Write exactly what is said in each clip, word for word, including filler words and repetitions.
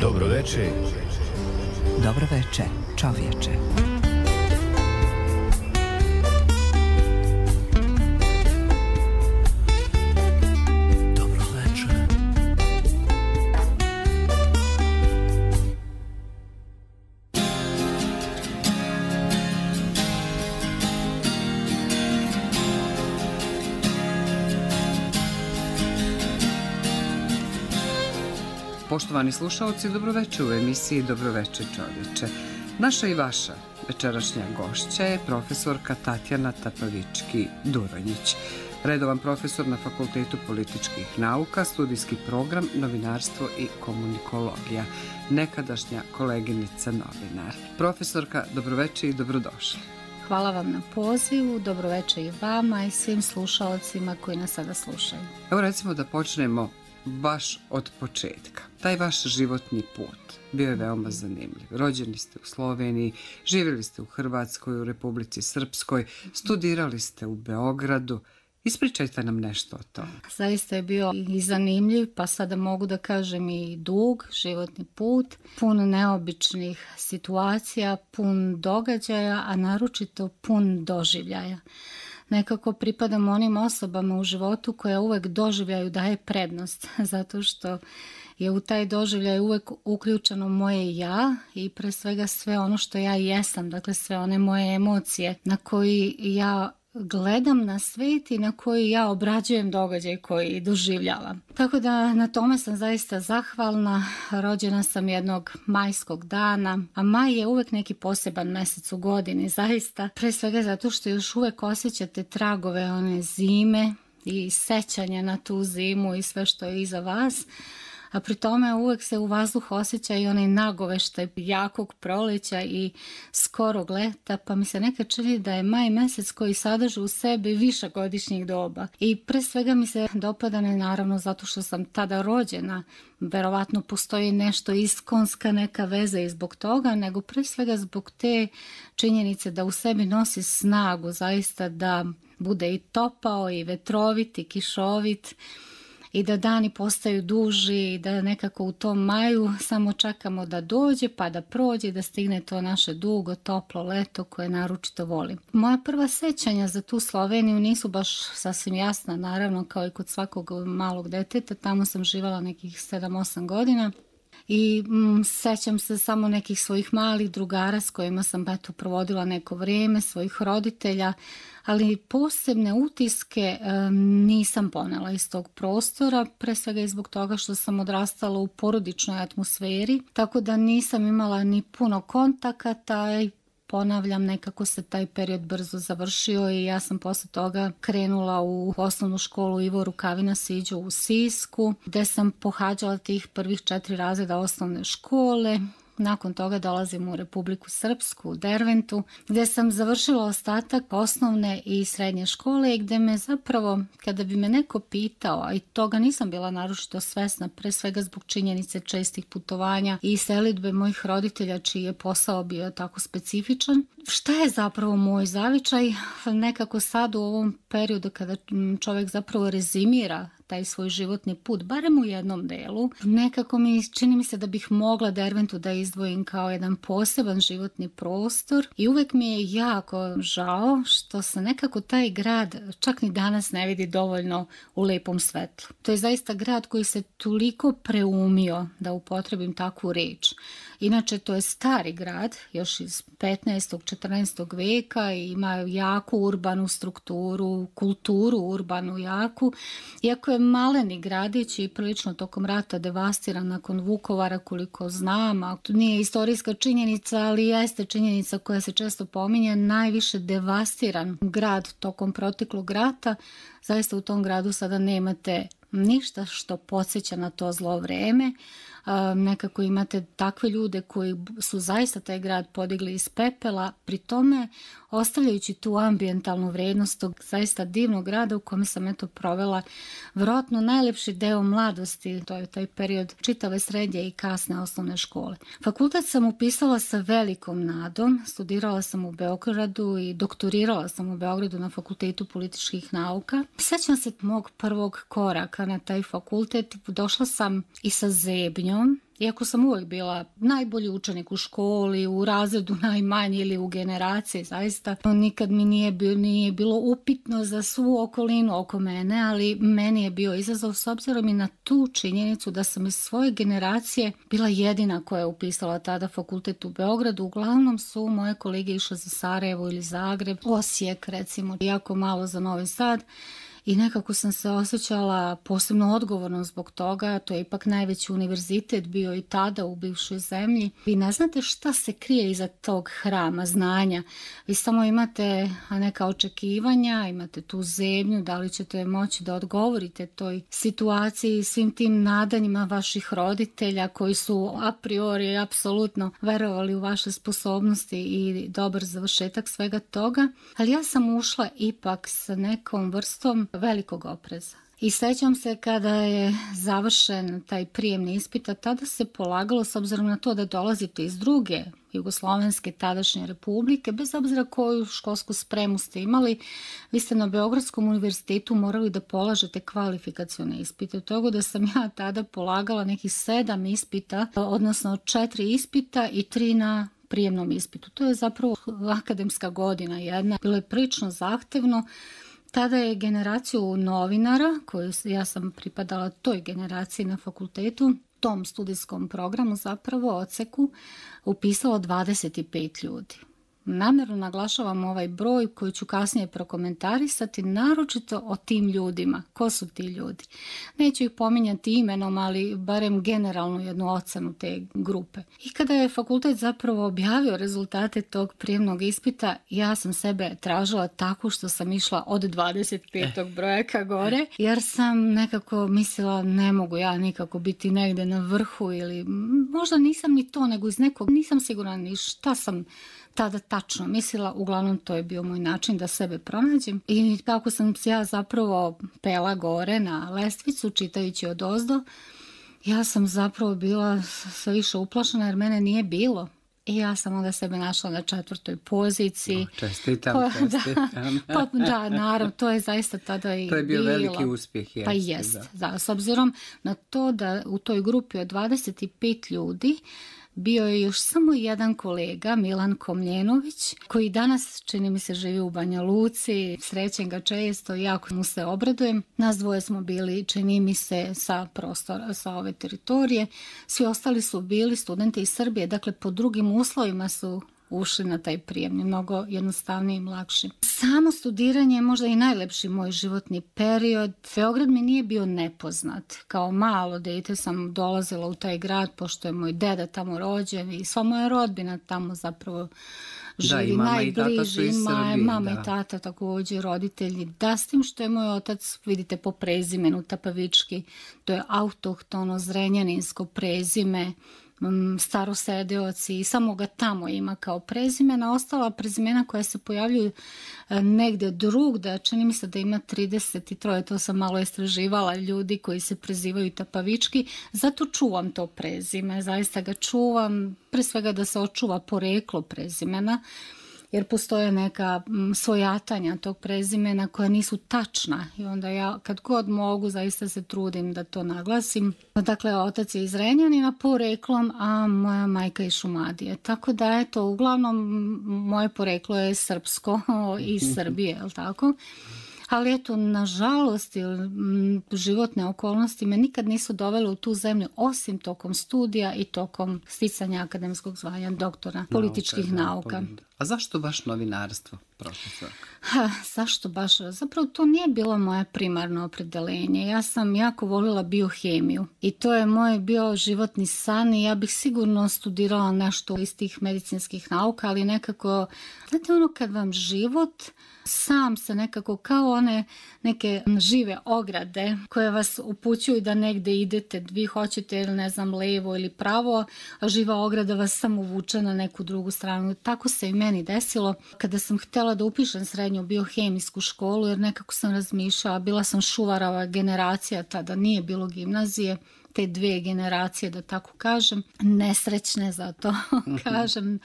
Dobroveče. Dobroveče, čovječe. Poštovani slušalci, dobroveče u emisiji Dobroveče čovječe. Naša i vaša večerašnja gošća je profesorka Tatjana Tapavički-Duronjić, redovan profesor na Fakultetu političkih nauka, studijski program Novinarstvo i komunikologija, nekadašnja koleginica novinar. Profesorka, dobroveče i dobrodošli. Hvala vam na pozivu, dobroveče i vama i svim slušalcima koji nas sada slušaju. Evo recimo da počnemo baš od početka. Taj vaš životni put bio je veoma zanimljiv. Rođeni ste u Sloveniji, živjeli ste u Hrvatskoj, u Republici Srpskoj, studirali ste u Beogradu. Ispričajte nam nešto o tome. Zaista je bio i zanimljiv, pa sada mogu da kažem i dug životni put, pun neobičnih situacija, pun događaja, a naročito pun doživljaja. Nekako pripadam onim osobama u životu koja uvek doživljaju daje prednost, zato što je u taj doživljaj uvek uključeno moje ja i pre svega sve ono što ja jesam, dakle sve one moje emocije na koji ja gledam na svet i na koji ja obrađujem događaj koji doživljavam. Tako da na tome sam zaista zahvalna. Rođena sam jednog majskog dana, a maj je uvek neki poseban mesec u godini, zaista. Pre svega zato što još uvek osjećate tragove one zime i sećanja na tu zimu i sve što je iza vas. A pri tome uvek se u vazduhu osjeća i onaj nagoveštaj jakog proleća i skorog leta, pa mi se nekad čini da je maj mesec koji sadrži u sebi višegodišnjih doba. I pre svega mi se dopada ne naravno zato što sam tada rođena, verovatno postoji nešto iskonska neka veza i zbog toga, nego pre svega zbog te činjenice da u sebi nosi snagu, zaista da bude i topao i vetrovit i kišovit, i da dani postaju duži i da nekako u tom maju samo čekamo da dođe pa da prođe i da stigne to naše dugo, toplo leto koje naročito volim. Moja prva sećanja za tu Sloveniju nisu baš sasvim jasna, naravno kao i kod svakog malog deteta, tamo sam živala nekih sedam osam godina. I mm, sećam se samo nekih svojih malih drugara s kojima sam eto provodila neko vrijeme, svojih roditelja, ali posebne utiske e, nisam ponela iz tog prostora, pre svega i zbog toga što sam odrastala u porodičnoj atmosferi, tako da nisam imala ni puno kontakata i ponavljam, nekako se taj period brzo završio i ja sam posle toga krenula u osnovnu školu Ivo Rukavina Siđo u Sisku, gde sam pohađala tih prvih četiri razreda osnovne škole. Nakon toga dolazim u Republiku Srpsku, u Derventu, gde sam završila ostatak osnovne i srednje škole i gde me zapravo, kada bi me neko pitao, a i toga nisam bila naročito svesna, pre svega zbog činjenice čestih putovanja i selidbe mojih roditelja, čiji je posao bio tako specifičan, šta je zapravo moj zavičaj? Nekako sad u ovom periodu kada čovjek zapravo rezimira taj svoj životni put, barem u jednom delu, nekako mi čini mi se da bih mogla Derventu da izdvojim kao jedan poseban životni prostor i uvek mi je jako žao što se nekako taj grad čak ni danas ne vidi dovoljno u lepom svetlu. To je zaista grad koji se toliko preumio, da upotrebim takvu reč. Inače, to je stari grad, još iz petnaestog četrnaestog veka i ima jaku urbanu strukturu, kulturu urbanu jaku, iako je maleni gradić i prilično tokom rata devastiran nakon Vukovara, koliko znam, a to nije istorijska činjenica, ali jeste činjenica koja se često pominje, najviše devastiran grad tokom proteklog rata. Zaista u tom gradu sada nemate ništa što podsjeća na to zlo vreme, nekako imate takve ljude koji su zaista taj grad podigli iz pepela, pri tome ostavljajući tu ambijentalnu vrednost tog zaista divnog grada u kome sam eto provela vjerojatno najlepši deo mladosti, to je taj period čitave srednje i kasne osnovne škole. Fakultet sam upisala sa velikom nadom, studirala sam u Beogradu i doktorirala sam u Beogradu na Fakultetu političkih nauka. Sjećam se mog prvog koraka na taj fakultet, došla sam i sa zebnjom, iako sam uvijek bila najbolji učenik u školi, u razredu najmanji ili u generaciji, zaista nikad mi nije bilo, nije bilo upitno za svu okolinu oko mene, ali meni je bio izazov s obzirom i na tu činjenicu da sam iz svoje generacije bila jedina koja je upisala tada fakultet u Beogradu. Uglavnom su moje kolege išle za Sarajevo ili Zagreb, Osijek recimo, jako malo za Novi Sad. I nekako sam se osjećala posebno odgovorno zbog toga, to je ipak najveći univerzitet bio i tada u bivšoj zemlji. Vi ne znate šta se krije iza tog hrama znanja, vi samo imate neka očekivanja, imate tu zemlju, da li ćete moći da odgovorite toj situaciji, svim tim nadanjima vaših roditelja koji su a priori apsolutno verovali u vaše sposobnosti i dobar završetak svega toga, ali ja sam ušla ipak sa nekom vrstom velikog opreza. I sećam se kada je završen taj prijemni ispit, a tada se polagalo, s obzirom na to da dolazite iz druge jugoslovenske tadašnje republike, bez obzira koju školsku spremu ste imali, vi ste na Beogradskom univerzitetu morali da polažete kvalifikacione ispite. Od toga da sam ja tada polagala nekih sedam ispita, odnosno četiri ispita i tri na prijemnom ispitu. To je zapravo akademska godina jedna. Bilo je prilično zahtevno. Tada je generaciju novinara, koju ja sam pripadala toj generaciji na fakultetu, tom studijskom programu zapravo odseku, upisalo dvadeset pet ljudi. Namjerno naglašavam ovaj broj koji ću kasnije prokomentarisati, naročito o tim ljudima. Ko su ti ljudi? Neću ih pominjati imenom, ali barem generalnu jednu ocenu te grupe. I kada je fakultet zapravo objavio rezultate tog prijemnog ispita, ja sam sebe tražila tako što sam išla od dvadeset petog broja ka gore, jer sam nekako mislila ne mogu ja nikako biti negde na vrhu ili možda nisam ni to, nego iz nekog, nisam sigurna ni šta sam tada tačno mislila, uglavnom to je bio moj način da sebe pronađem. I kako sam se ja zapravo pela gore na lestvicu čitajući odozdo, ja sam zapravo bila sve više uplašena jer mene nije bilo. I ja sam onda sebe našla na četvrtoj poziciji. O, čestitam, pa, čestitam. Da, pa, da, naravno, to je zaista tada i bilo. To je bio bilo. veliki uspjeh. Jest, pa jest, da. da. S obzirom na to da u toj grupi od dvadeset pet ljudi bio je još samo jedan kolega, Milan Komljenović, koji danas, čini mi se, živi u Banja Luci. Srećem ga često, jako mu se obradujem. Nas dvoje smo bili, čini mi se, sa prostora, sa ove teritorije. Svi ostali su bili studenti iz Srbije, dakle po drugim uslovima su ušli na taj prijemni, mnogo jednostavniji i lakši. Samo studiranje je možda i najlepši moj životni period. Beograd mi nije bio nepoznat. Kao malo dete sam dolazila u taj grad, pošto je moj deda tamo rođen i sva moja rodbina tamo zapravo živi. Da, i mama najbliži, i tata su iz Srbije. Mama da. i tata također, roditelji. Da, s tim što je moj otac, vidite po prezimenu Tapavički, to je autohtono zrenjaninsko prezime, Starosedeoci i samo ga tamo ima kao prezimena. Ostala prezimena koja se pojavljuju negde drugda, čini mi se da ima trideset tri, to sam malo istraživala, ljudi koji se prezivaju Tapavički, zato čuvam to prezime, zaista ga čuvam, pre svega da se očuva poreklo prezimena, jer postoje neka svojatanja tog prezimena koja nisu tačna i onda ja kad god mogu zaista se trudim da to naglasim. Dakle, otac je iz Renjanina poreklom, a moja majka iz Šumadije. Tako da, eto, uglavnom moje poreklo je srpsko iz Srbije, je li tako? Ali eto, nažalost, životne okolnosti me nikad nisu dovele u tu zemlju, osim tokom studija i tokom sticanja akademskog zvanja doktora političkih nauka. A zašto baš novinarstvo? profesorka? Ha, zašto baš? Zapravo to nije bilo moje primarno opredeljenje. Ja sam jako volila biohemiju i to je moj bio životni san i ja bih sigurno studirala nešto iz tih medicinskih nauka, ali nekako, znate ono kad vam život sam se nekako kao one neke žive ograde koje vas upućuju da negde idete, vi hoćete ili ne znam levo ili pravo, a živa ograda vas samo vuče na neku drugu stranu. Tako se i meni desilo kada sam htjela da upišem srednju biohemijsku školu, jer nekako sam razmišljala, bila sam šuvarava generacija, tada nije bilo gimnazije, te dve generacije, da tako kažem, nesrećne, zato kažem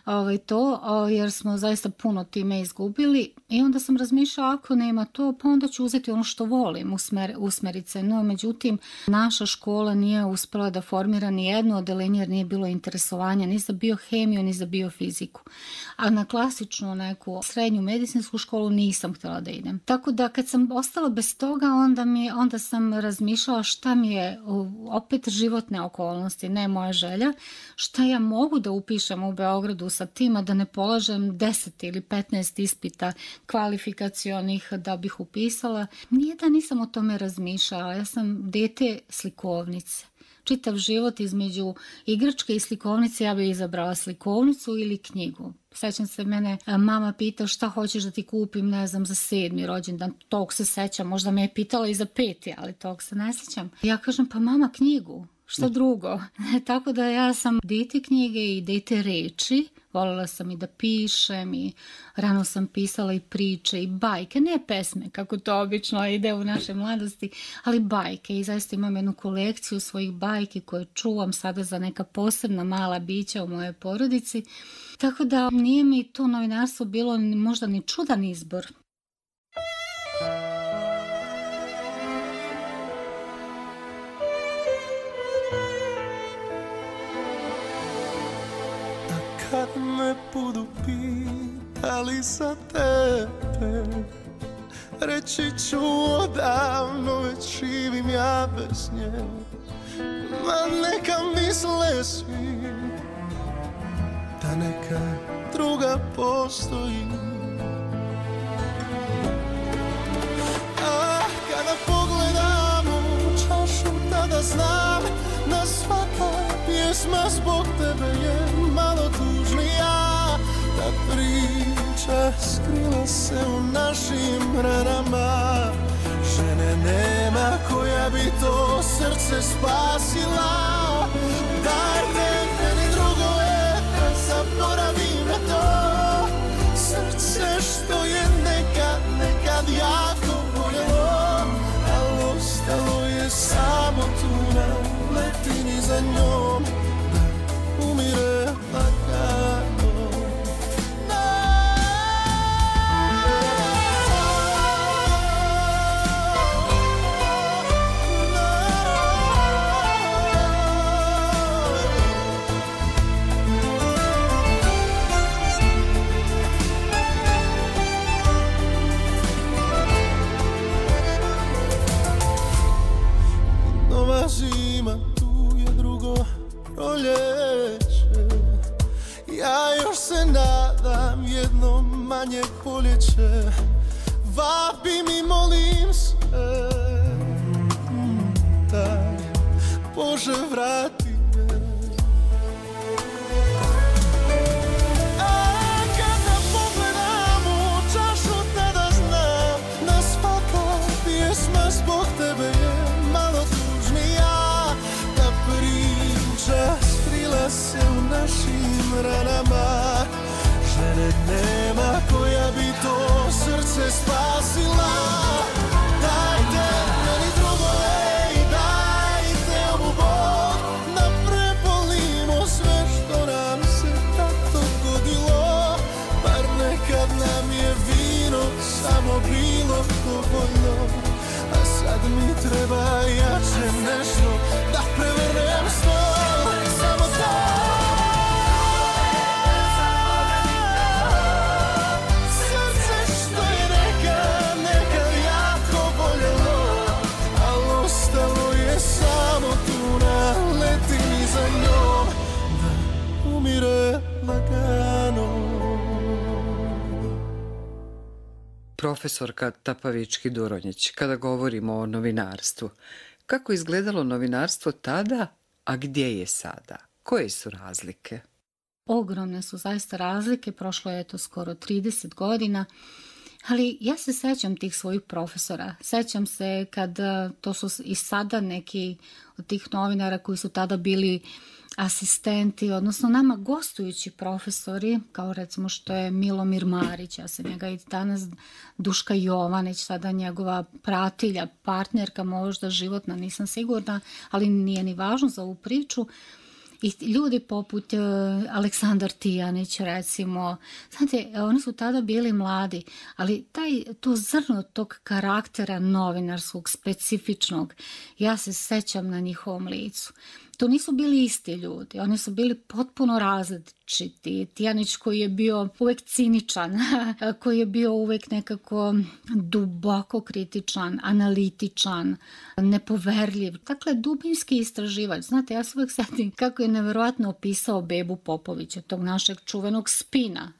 ovaj, to, jer smo zaista puno time izgubili i onda sam razmišljala ako nema to, pa onda ću uzeti ono što volim, usmer, usmeriti se. No, međutim, naša škola nije uspela da formira ni jedno odelenje jer nije bilo interesovanja ni za biohemiju, ni za biofiziku. A na klasičnu neku srednju medicinsku školu nisam htjela da idem. Tako da kad sam ostala bez toga, onda, mi, onda sam razmišljala šta mi je opet životne okolnosti, ne moja želja, šta ja mogu da upišem u Beogradu sa tima da ne polažem deset ili petnaest ispita kvalifikacionih da bih upisala. Nije da nisam o tome razmišljala, ja sam dete slikovnice. Čitav život između igračke i slikovnice ja bih izabrala slikovnicu ili knjigu. Sećam se, mene mama pita šta hoćeš da ti kupim, ne znam, za sedmi rođendan. Tog se sećam, možda me je pitala i za peti, ali tog se ne sećam. Ja kažem, pa mama, knjigu, šta drugo? Tako da ja sam dete knjige i dete reči. Voljela sam i da pišem i rano sam pisala i priče i bajke, ne pesme kako to obično ide u našoj mladosti, ali bajke i zaista imam jednu kolekciju svojih bajki koje čuvam sada za neka posebna mala bića u mojoj porodici. Tako da nije mi to novinarstvo bilo možda ni čudan izbor. Kad me budu pitali za tebe, reći ću odavno već živim ja bez nje. Ma neka misle svi da neka druga postoji. Ah, kada pogledam u čašu, tada znam da svaka pjesma zbog tebe je malo tužnija. Ta priča skrila se u našim ranama. Žene nema koja bi to srce spasila. Dajte meni drugove da zaboravim na to srce što je nekad, nekad jako voljelo, ali ostalo je samo tu na letini za njom da umire lagano. Zima, tu je drugo proljeće. Ja još se nadam jedno manje poljeće. Vapi mi, molim se, daj Bože vrati me. A kada pogledam u čašu, tada znam da svaka pjesma zbog tebe je malo tužnija. Ta priča skrila se u našim ranama. Žene nema koja bi to srce spasila. Dajte meni drugove i dajte ovu bol da prebolimo sve što nam se tako godilo. Bar nekad nam je vino samo bilo dovoljno. A sad mi treba jače nešto da prevrnem stol. Samo to. Srce što je nekad, nekad ja Profesorka Tapavički-Duronjić, kada govorimo o novinarstvu, kako je izgledalo novinarstvo tada, a gdje je sada? Koje su razlike? Ogromne su zaista razlike, prošlo je to skoro trideset godina, ali ja se sećam tih svojih profesora. Sećam se kad, to su i sada neki od tih novinara koji su tada bili asistenti, odnosno nama gostujući profesori, kao recimo što je Milomir Marić, ja sam njega i danas, Duška Jovanić, sada njegova pratilja, partnerka možda životna, nisam sigurna, ali nije ni važno za ovu priču. I ljudi poput uh, Aleksandar Tijanić, recimo, znate, oni su tada bili mladi, ali taj, to zrno tog karaktera novinarskog, specifičnog, ja se sećam na njihovom licu. To nisu bili isti ljudi, oni su bili potpuno različiti. Tijanić koji je bio uvek ciničan, koji je bio uvek nekako duboko kritičan, analitičan, nepoverljiv. Dakle, dubinski istraživač. Znate, ja se uvek setim kako je neverovatno opisao Bebu Popovića, tog našeg čuvenog spina.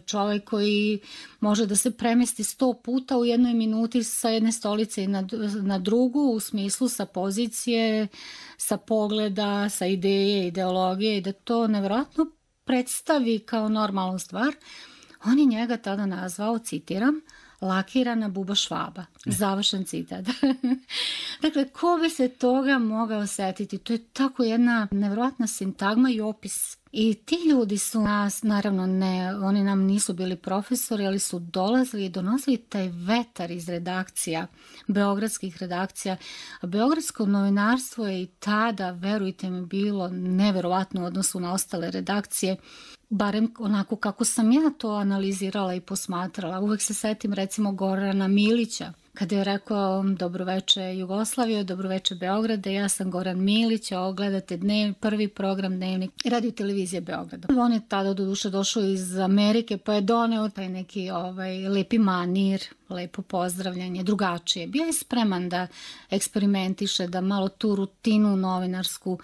Čovjek koji može da se premesti sto puta u jednoj minuti sa jedne stolice na, na drugu, u smislu sa pozicije, sa pogleda, sa ideje, ideologije, i da to nevjerojatno predstavi kao normalnu stvar. On je njega tada nazvao, citiram, lakirana buba Švaba. Završen citat. Dakle, ko bi se toga mogao setiti? To je tako jedna nevjerojatna sintagma i opis. I ti ljudi su nas, naravno ne, oni nam nisu bili profesori, ali su dolazili i donosili taj vetar iz redakcija, beogradskih redakcija. A beogradsko novinarstvo je i tada, verujte mi, bilo neverovatno u odnosu na ostale redakcije, barem onako kako sam ja to analizirala i posmatrala. Uvek se setim recimo Gorana Milića, kada je rekao dobroveče Jugoslavije, dobroveče Beograde, ja sam Goran Milić, a gledate dnev, prvi program Dnevnik Radio televizije Beograda. On je tada do duše došao iz Amerike, pa je doneo taj neki ovaj, lepi manir, lepo pozdravljanje, drugačije. Bio je spreman da eksperimentiše, da malo tu rutinu novinarsku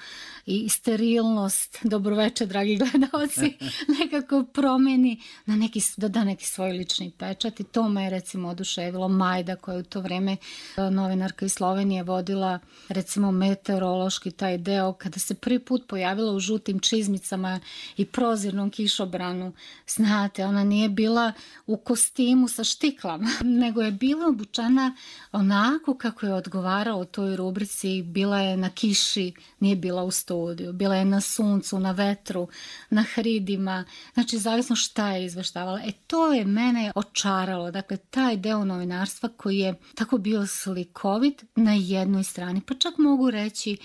i sterilnost, dobroveče dragi gledalci, nekako promeni, na neki, da da neki svoj lični pečat, i to me je recimo oduševilo. Majda, koja je u to vreme novinarka iz Slovenije vodila recimo meteorološki taj deo, kada se prvi put pojavila u žutim čizmicama i prozirnom kišobranu. Znate, ona nije bila u kostimu sa štiklama, nego je bila obučena onako kako je odgovaralo toj rubrici. Bila je na kiši, nije bila u studiju, bila je na suncu, na vetru, na hridima, znači zavisno šta je izveštavala. E to je mene očaralo, dakle taj deo novinarstva koji je tako bio slikovit na jednoj strani, pa čak mogu reći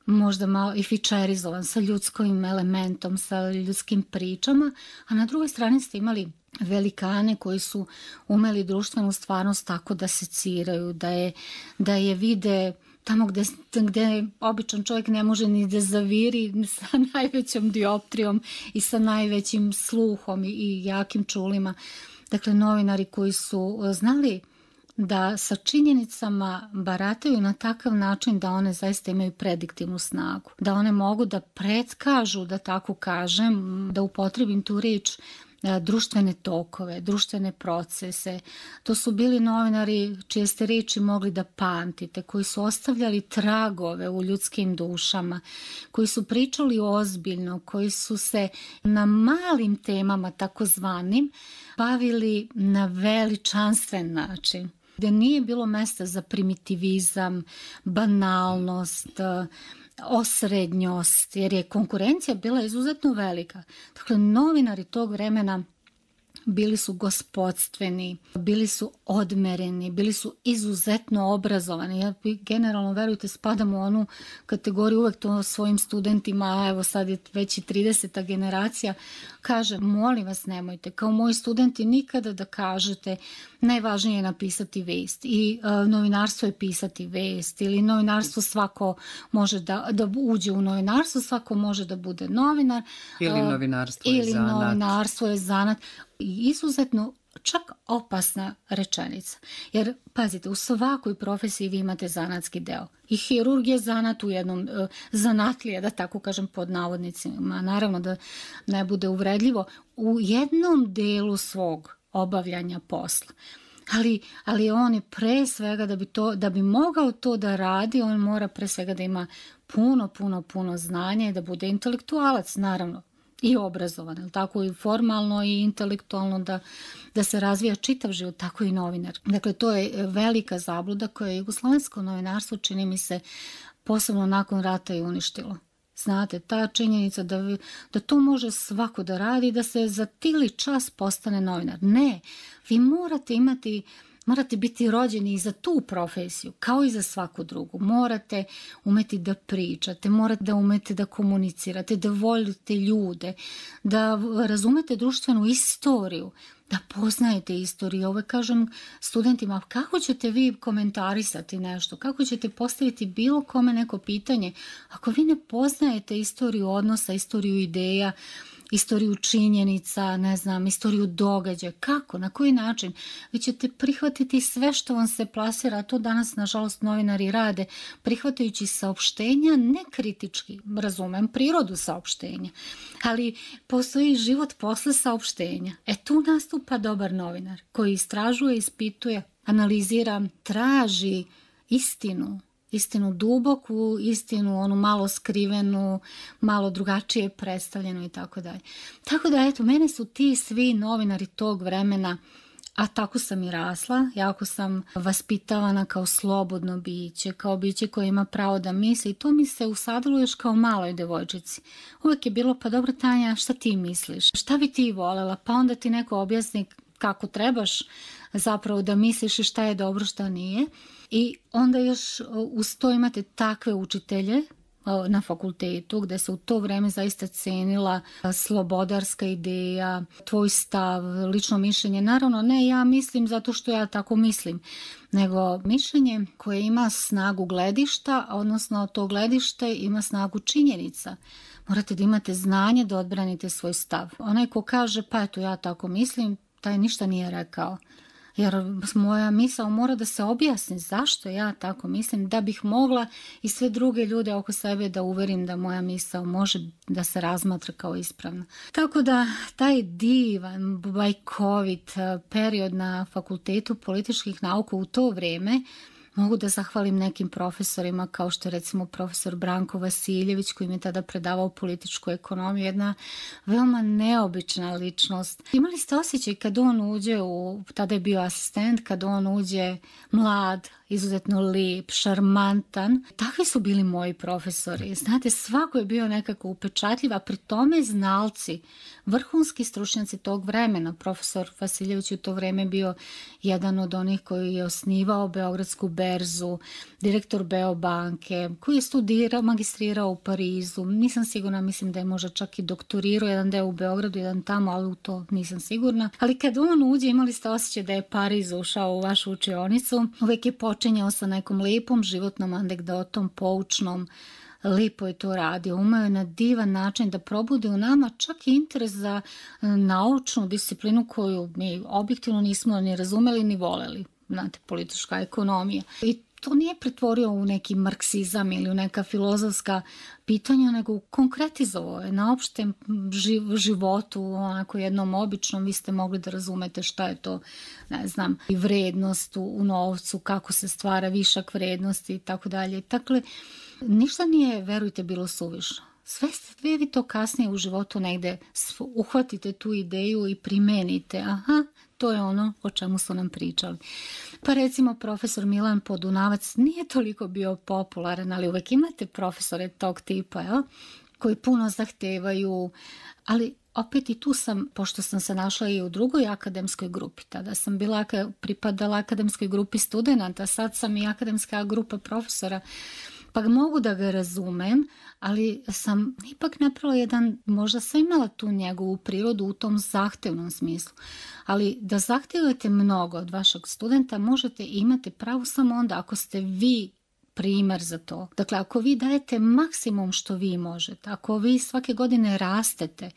možda malo i fičerizovan, sa ljudskim elementom, sa ljudskim pričama, a na drugoj strani ste imali velikane koji su umeli društvenu stvarnost tako da seciraju, da je, da je vide tamo gde, gde običan čovjek ne može ni da zaviri, sa najvećom dioptrijom i sa najvećim sluhom i, i jakim čulima. Dakle, novinari koji su znali da sa činjenicama barataju na takav način da one zaista imaju prediktivnu snagu, da one mogu da pretkažu, da tako kažem, da upotrebim tu riječ, društvene tokove, društvene procese. To su bili novinari čije ste riječi mogli da pamtite, koji su ostavljali tragove u ljudskim dušama, koji su pričali ozbiljno, koji su se na malim temama takozvanim bavili na veličanstven način, gde nije bilo mesta za primitivizam, banalnost, osrednjost, jer je konkurencija bila izuzetno velika. Dakle, novinari tog vremena bili su gospodstveni, bili su odmereni, bili su izuzetno obrazovani. Ja generalno, verujte, spadam u onu kategoriju, uvek to svojim studentima, evo sad je već i trideseta generacija, kažem, molim vas nemojte, kao moji studenti, nikada da kažete najvažnije je napisati vest i uh, novinarstvo je pisati vest, ili novinarstvo svako može da, da uđe u novinarstvo, svako može da bude novinar. Ili novinarstvo uh, je ili zanat. Ili novinarstvo je zanat. I izuzetno čak opasna rečenica. Jer, pazite, u svakoj profesiji vi imate zanatski deo. I hirurg je zanat u jednom, uh, zanatlije, da tako kažem pod navodnicima, naravno da ne bude uvredljivo, u jednom delu svog obavljanja posla. Ali, ali on je pre svega da bi, to, da bi mogao to da radi, on mora pre svega da ima puno, puno, puno znanja i da bude intelektualac, naravno, i obrazovan, tako i formalno i intelektualno da, da se razvija čitav život, tako i novinar. Dakle, to je velika zabluda koja je jugoslovensko novinarstvo, čini mi se, posebno nakon rata i uništilo. Znate, ta činjenica da, vi, da to može svako da radi, da se za tili čas postane novinar. Ne, vi morate imati, morate biti rođeni i za tu profesiju, kao i za svaku drugu. Morate umeti da pričate, morate da umete da komunicirate, da volite ljude, da razumete društvenu istoriju, da poznajete istoriju. Ovo kažem studentima, kako ćete vi komentarisati nešto, kako ćete postaviti bilo kome neko pitanje, ako vi ne poznajete istoriju odnosa, istoriju ideja, istoriju činjenica, ne znam, istoriju događaja, kako, na koji način, vi ćete prihvatiti sve što vam se plasira, a to danas, nažalost, novinari rade, prihvatajući saopštenja nekritički, razumem prirodu saopštenja, ali postoji život posle saopštenja. E tu nastupa dobar novinar, koji istražuje, ispituje, analizira, traži istinu, istinu duboku, istinu onu malo skrivenu, malo drugačije predstavljenu i tako dalje. Tako da, eto, mene su ti svi novinari tog vremena, a tako sam i rasla, jako sam vaspitavana kao slobodno biće, kao biće koje ima pravo da misli i to mi se usadilo još kao maloj devojčici. Uvijek je bilo, pa dobro Tanja, šta ti misliš? Šta bi ti volela? Pa onda ti neko objasni kako trebaš zapravo da misliš i šta je dobro, šta nije. I onda još uz to imate takve učitelje na fakultetu gde se u to vreme zaista cenila slobodarska ideja, tvoj stav, lično mišljenje. Naravno, ne ja mislim zato što ja tako mislim, nego mišljenje koje ima snagu gledišta, odnosno to gledište ima snagu činjenica. Morate da imate znanje da odbranite svoj stav. Onaj ko kaže pa eto ja tako mislim, taj ništa nije rekao. Jer moja misao mora da se objasni zašto ja tako mislim, da bih mogla i sve druge ljude oko sebe da uverim da moja misao može da se razmatra kao ispravna. Tako da taj divan, bajkovit period na Fakultetu političkih nauka u to vrijeme mogu da zahvalim nekim profesorima kao što je recimo profesor Branko Vasiljević koji mi je tada predavao političku ekonomiju, jedna veoma neobična ličnost. Imali ste osjećaj kad on uđe, u, tada je bio asistent, kad on uđe mlad, izuzetno lijep, šarmantan. Takvi su bili moji profesori. Znate, svako je bio nekako upečatljiv, a pri tome znalci, vrhunski stručnjaci tog vremena. Profesor Vasiljević u to vreme bio jedan od onih koji je osnivao Beogradsku berzu, direktor Beobanke, koji je studirao, magistrirao u Parizu. Nisam sigurna, mislim da je možda čak i doktorirao, jedan deo u Beogradu, jedan tamo, ali u to nisam sigurna. Ali kad on uđe, imali ste osjećaj da je Pariz ušao u vašu učionicu. Uvek je počinjao sa nekom lijepom životnom anegdotom, poučnom, lipo je to radio, umeo je na divan način da probude u nama čak i interes za naučnu disciplinu koju mi objektivno nismo ni razumeli ni voleli, znate, politička ekonomija. I to nije pretvorio u neki marksizam ili u neka filozofska pitanja, nego konkretizovao je na opštem životu, onako jednom običnom, vi ste mogli da razumete šta je to, ne znam, i vrednost u novcu, kako se stvara višak vrednosti i tako dalje. Dakle, ništa nije, verujte, bilo suvišno. Sve ste vi to kasnije u životu negde uhvatite tu ideju i primenite. Aha, to je ono o čemu su nam pričali. Pa recimo profesor Milan Podunavac nije toliko bio popularan, ali uvek imate profesore tog tipa, ja, koji puno zahtevaju, ali opet i tu sam, pošto sam se našla i u drugoj akademskoj grupi, tada sam bila, pripadala akademskoj grupi studenta, sad sam i akademska grupa profesora, pa mogu da ga razumem, ali sam ipak napravila jedan, možda sam imala tu njegovu prirodu u tom zahtevnom smislu, ali da zahtevate mnogo od vašeg studenta možete imati pravo samo onda ako ste vi primer za to. Dakle, ako vi dajete maksimum što vi možete, ako vi svake godine rastete,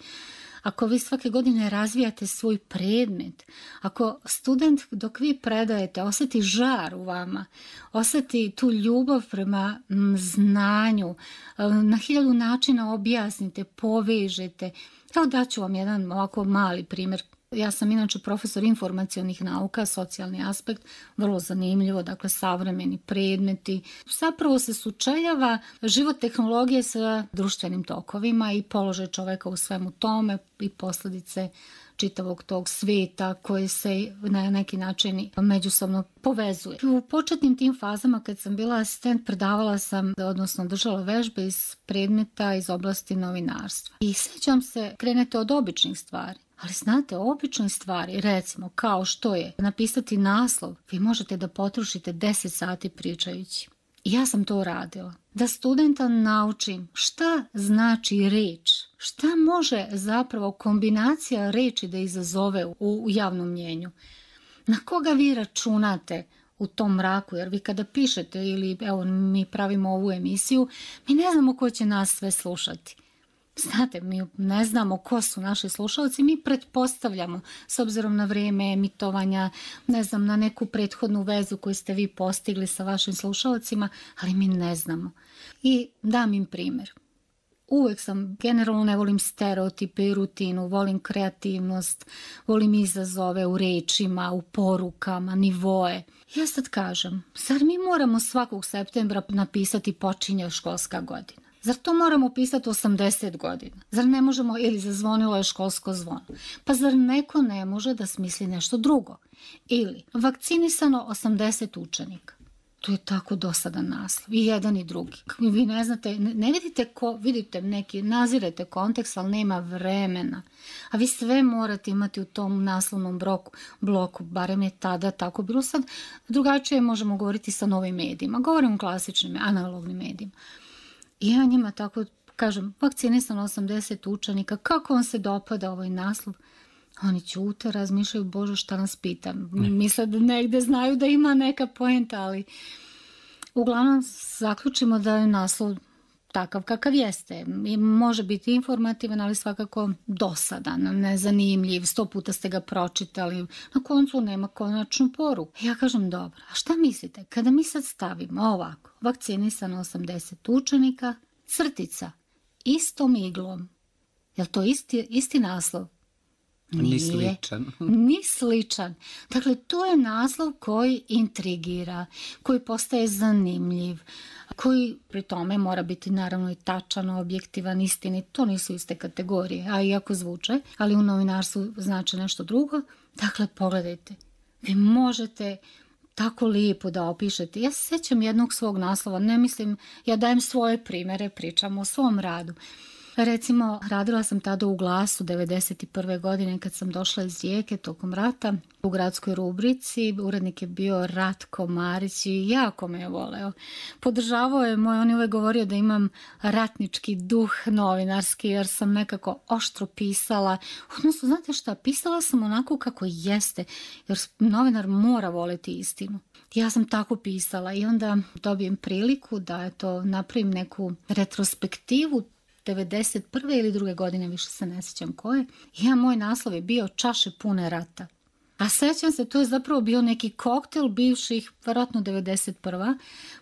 ako vi svake godine razvijate svoj predmet, ako student dok vi predajete osjeti žar u vama, osjeti tu ljubav prema znanju, na hiljadu načina objasnite, povežete. Evo daću vam jedan ovako mali primjer. Ja sam inače profesor informacionih nauka, socijalni aspekt, vrlo zanimljivo, dakle savremeni predmeti. Zapravo se sučeljava život tehnologije sa društvenim tokovima i položaj čoveka u svemu tome i posljedice čitavog tog sveta koji se na neki način međusobno povezuje. U početnim tim fazama kad sam bila asistent predavala sam, odnosno držala vežbe iz predmeta iz oblasti novinarstva. I sjećam se, krenete od običnih stvari. Ali znate, obične stvari, recimo kao što je napisati naslov, vi možete da potrošite deset sati pričajući. I ja sam to radila. Da studenta naučim šta znači reč, šta može zapravo kombinacija reči da izazove u, u javnom mnjenju. Na koga vi računate u tom mraku, jer vi kada pišete ili evo mi pravimo ovu emisiju, mi ne znamo ko će nas sve slušati. Znate, mi ne znamo ko su naši slušalci, mi pretpostavljamo s obzirom na vrijeme emitovanja, ne znam, na neku prethodnu vezu koju ste vi postigli sa vašim slušalcima, ali mi ne znamo. I dam im primjer. Uvijek sam, generalno ne volim stereotipe i rutinu, volim kreativnost, volim izazove u rečima, u porukama, nivoe. Ja sad kažem, zar mi moramo svakog septembra napisati počinje školska godina? Zar to moramo pisati osamdeset godina? Zar ne možemo, ili zazvonilo je školsko zvono? Pa zar neko ne može da smisli nešto drugo? Ili vakcinisano osamdeset učenika? To je tako dosadan naslov, i jedan i drugi. Vi ne znate, ne vidite ko, vidite neki, nazirete kontekst, ali nema vremena. A vi sve morate imati u tom naslovnom bloku, bloku, barem je tada tako bilo. Sad drugačije možemo govoriti sa novim medijima. Govorim o klasičnim, analognim medijima. I ja njima tako kažem, vakcinisano osamdeset učenika, kako vam se dopada ovaj naslov? Oni ćute, razmišljaju, Bože, šta nas pitam. Misle da negde znaju da ima neka poenta, ali uglavnom zaključimo da je naslov takav kakav jeste. I može biti informativan, ali svakako dosadan, nezanimljiv, sto puta ste ga pročitali, na koncu nema konačnu poruku. Ja kažem, dobro, a šta mislite, kada mi sad stavimo ovako, vakcinisano osamdeset učenika, crtica, istom iglom, je li to isti, isti naslov? Nije. Ni sličan. Ni sličan. Dakle, to je naslov koji intrigira, koji postaje zanimljiv, koji pri tome mora biti naravno i tačan, objektivan, istinit. To nisu iste kategorije, a iako zvuče, ali u novinarstvu znači nešto drugo. Dakle, pogledajte, vi možete tako lijepo da opišete. Ja se sjećam jednog svog naslova, ne mislim, ja dajem svoje primjere, pričam o svom radu. Recimo, radila sam tada u Glasu devedeset prve godine kad sam došla iz Rijeke tokom rata u gradskoj rubrici. Urednik je bio Ratko Marić i jako me je voleo. Podržavao je moj, on je uvijek govorio da imam ratnički duh novinarski jer sam nekako oštro pisala. Odnosno, znate šta, pisala sam onako kako jeste jer novinar mora voliti istinu. Ja sam tako pisala i onda dobijem priliku da eto, napravim neku retrospektivu devedeset prve ili druge godine, više se ne sjećam koje. Ja, moj naslov je bio Čaše pune rata. A sjećam se, to je zapravo bio neki koktel bivših, vjerojatno devedeset prva,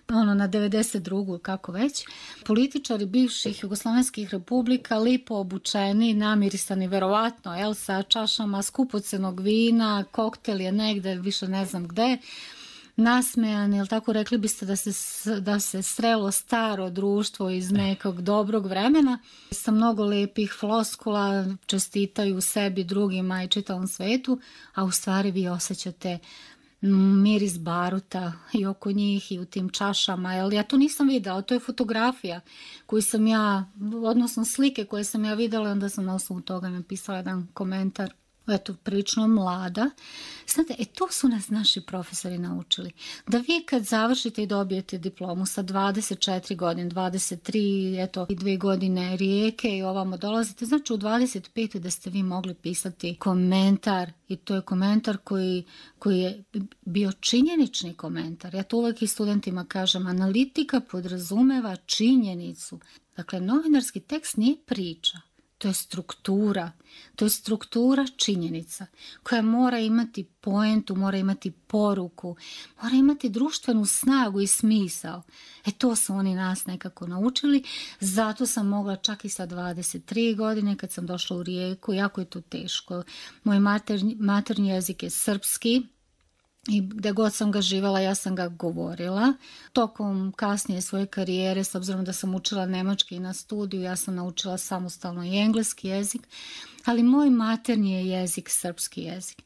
ono na devedeset drugu kako već, političari bivših jugoslavenskih republika, lipo obučeni, namirisani verovatno, jel, sa čašama skupocenog vina, koktel je negde, više ne znam gde, nasmejani, jel tako, rekli biste da se, da se srelo staro društvo iz nekog dobrog vremena sa mnogo lepih floskula, čestitaju sebi, drugima i čitavom svetu, a u stvari vi osjećate miris baruta i oko njih i u tim čašama. Jel, ja to nisam videla, to je fotografija koju sam ja, odnosno slike koje sam ja videla, onda sam na osnovu toga napisala jedan komentar. Eto, prilično mlada. Znate, e to su nas naši profesori naučili. Da vi kad završite i dobijete diplomu sa dvadeset četiri godine, dvadeset tri, eto, i dve godine Rijeke i ovamo dolazite, znači u dvadeset pet da ste vi mogli pisati komentar i to je komentar koji, koji je bio činjenični komentar. Ja to uvijek i studentima kažem, analitika podrazumeva činjenicu. Dakle, novinarski tekst nije priča. to je struktura. To je struktura činjenica koja mora imati poentu, mora imati poruku, mora imati društvenu snagu i smisao. E to su oni nas nekako naučili, zato sam mogla čak i sa dvadeset tri godine kad sam došla u Rijeku, jako je to teško. Moj maternji, maternji jezik je srpski, i gde god sam ga živjela, ja sam ga govorila. Tokom kasnije svoje karijere, s obzirom da sam učila nemački na studiju, ja sam naučila samostalno i engleski jezik, ali moj maternji je jezik srpski jezik.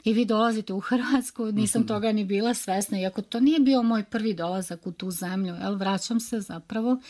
I vi dolazite u Hrvatsku, nisam toga ni bila svesna, iako to nije bio moj prvi dolazak u tu zemlju, jel, vraćam se zapravo.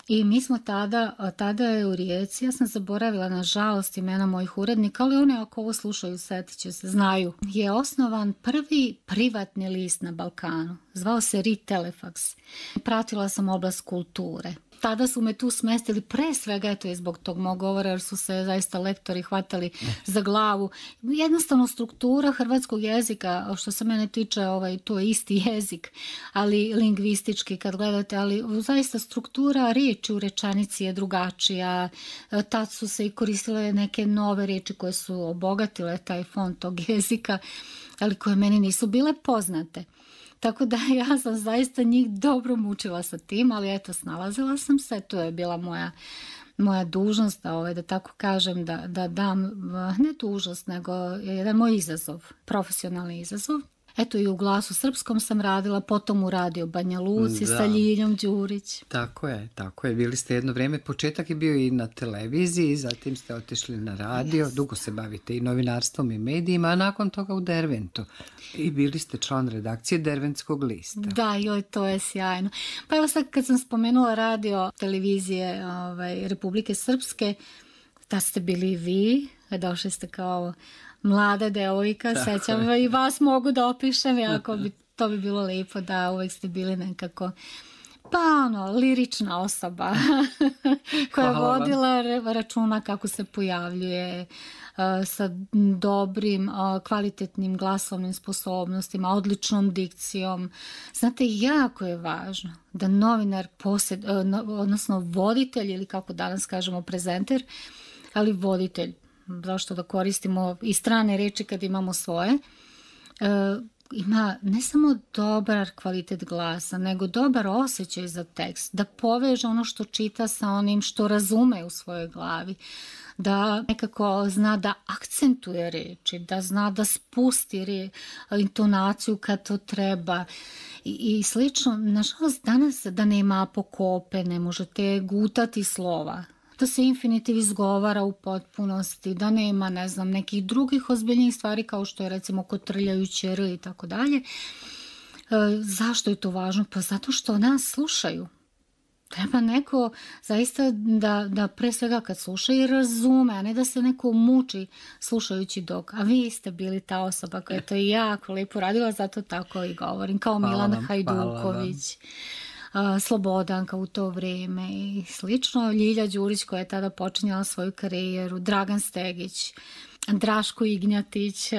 I mi smo tada, tada je u Rijeci, ja sam zaboravila nažalost imena mojih urednika, ali one ako ovo slušaju setit će se, znaju. Je osnovan prvi privatni list na Balkanu, zvao se Ri Telefax. Pratila sam oblast kulture. Tada su me tu smestili, pre svega eto je zbog tog mog govora, jer su se zaista lektori hvatali za glavu. Jednostavno struktura hrvatskog jezika, što se mene tiče, ovaj, to je isti jezik, ali lingvistički kad gledate, ali zaista struktura riječi u rečanici je drugačija. Tad su se i koristile neke nove riječi koje su obogatile taj fond tog jezika, ali koje meni nisu bile poznate. Tako da ja sam zaista njih dobro mučila sa tim, ali eto, snalazila sam se, to je bila moja, moja dužnost, da, ovaj, da tako kažem, da, da dam, ne dužnost, nego jedan moj izazov, profesionalni izazov. Eto i u Glasu srpskom sam radila, potom u Radio Banja Luci da. Sa Ljiljom Đurić. Tako je, tako je. Bili ste jedno vrijeme, početak je bio i na televiziji, zatim ste otišli na radio, yes. Dugo se bavite i novinarstvom i medijima, a nakon toga u Derventu. I bili ste član redakcije Derventskog lista. Da, joj, to je sjajno. Pa evo sad kad sam spomenula radio televizije ovaj, Republike Srpske, da ste bili vi, došli ste kao mlada devojka, tako sećam je. I vas mogu da opišem, jako bi, to bi bilo lijepo da uvijek ste bili nekako, pa ono, lirična osoba koja je vodila računa kako se pojavljuje, uh, sa dobrim, uh, kvalitetnim glasovnim sposobnostima, odličnom dikcijom. Znate, jako je važno da novinar, posjed, uh, no, odnosno voditelj ili kako danas kažemo prezenter, ali voditelj, zašto da koristimo i strane reči kad imamo svoje, e, ima ne samo dobar kvalitet glasa, nego dobar osjećaj za tekst, da poveže ono što čita sa onim što razume u svojoj glavi, da nekako zna da akcentuje reči, da zna da spusti re, intonaciju kad to treba i, i slično. Nažalost, danas da nema apokope, ne možete gutati slova, da se infinitiv izgovara u potpunosti, da nema, ne znam, nekih drugih ozbiljnijih stvari kao što je recimo kotrljajuće r i tako dalje. Zašto je to važno? Pa zato što nas slušaju. Treba neko zaista da, da pre svega kad sluša i razume, a ne da se neko muči slušajući dok. A vi ste bili ta osoba koja je to jako lijepo radila, zato tako i govorim, kao hvala Milan vam, Hajduković. Slobodanka u to vrijeme i slično. Ljilja Đurić koja je tada počinjala svoju karijeru, Dragan Stegić, Draško Ignjatić,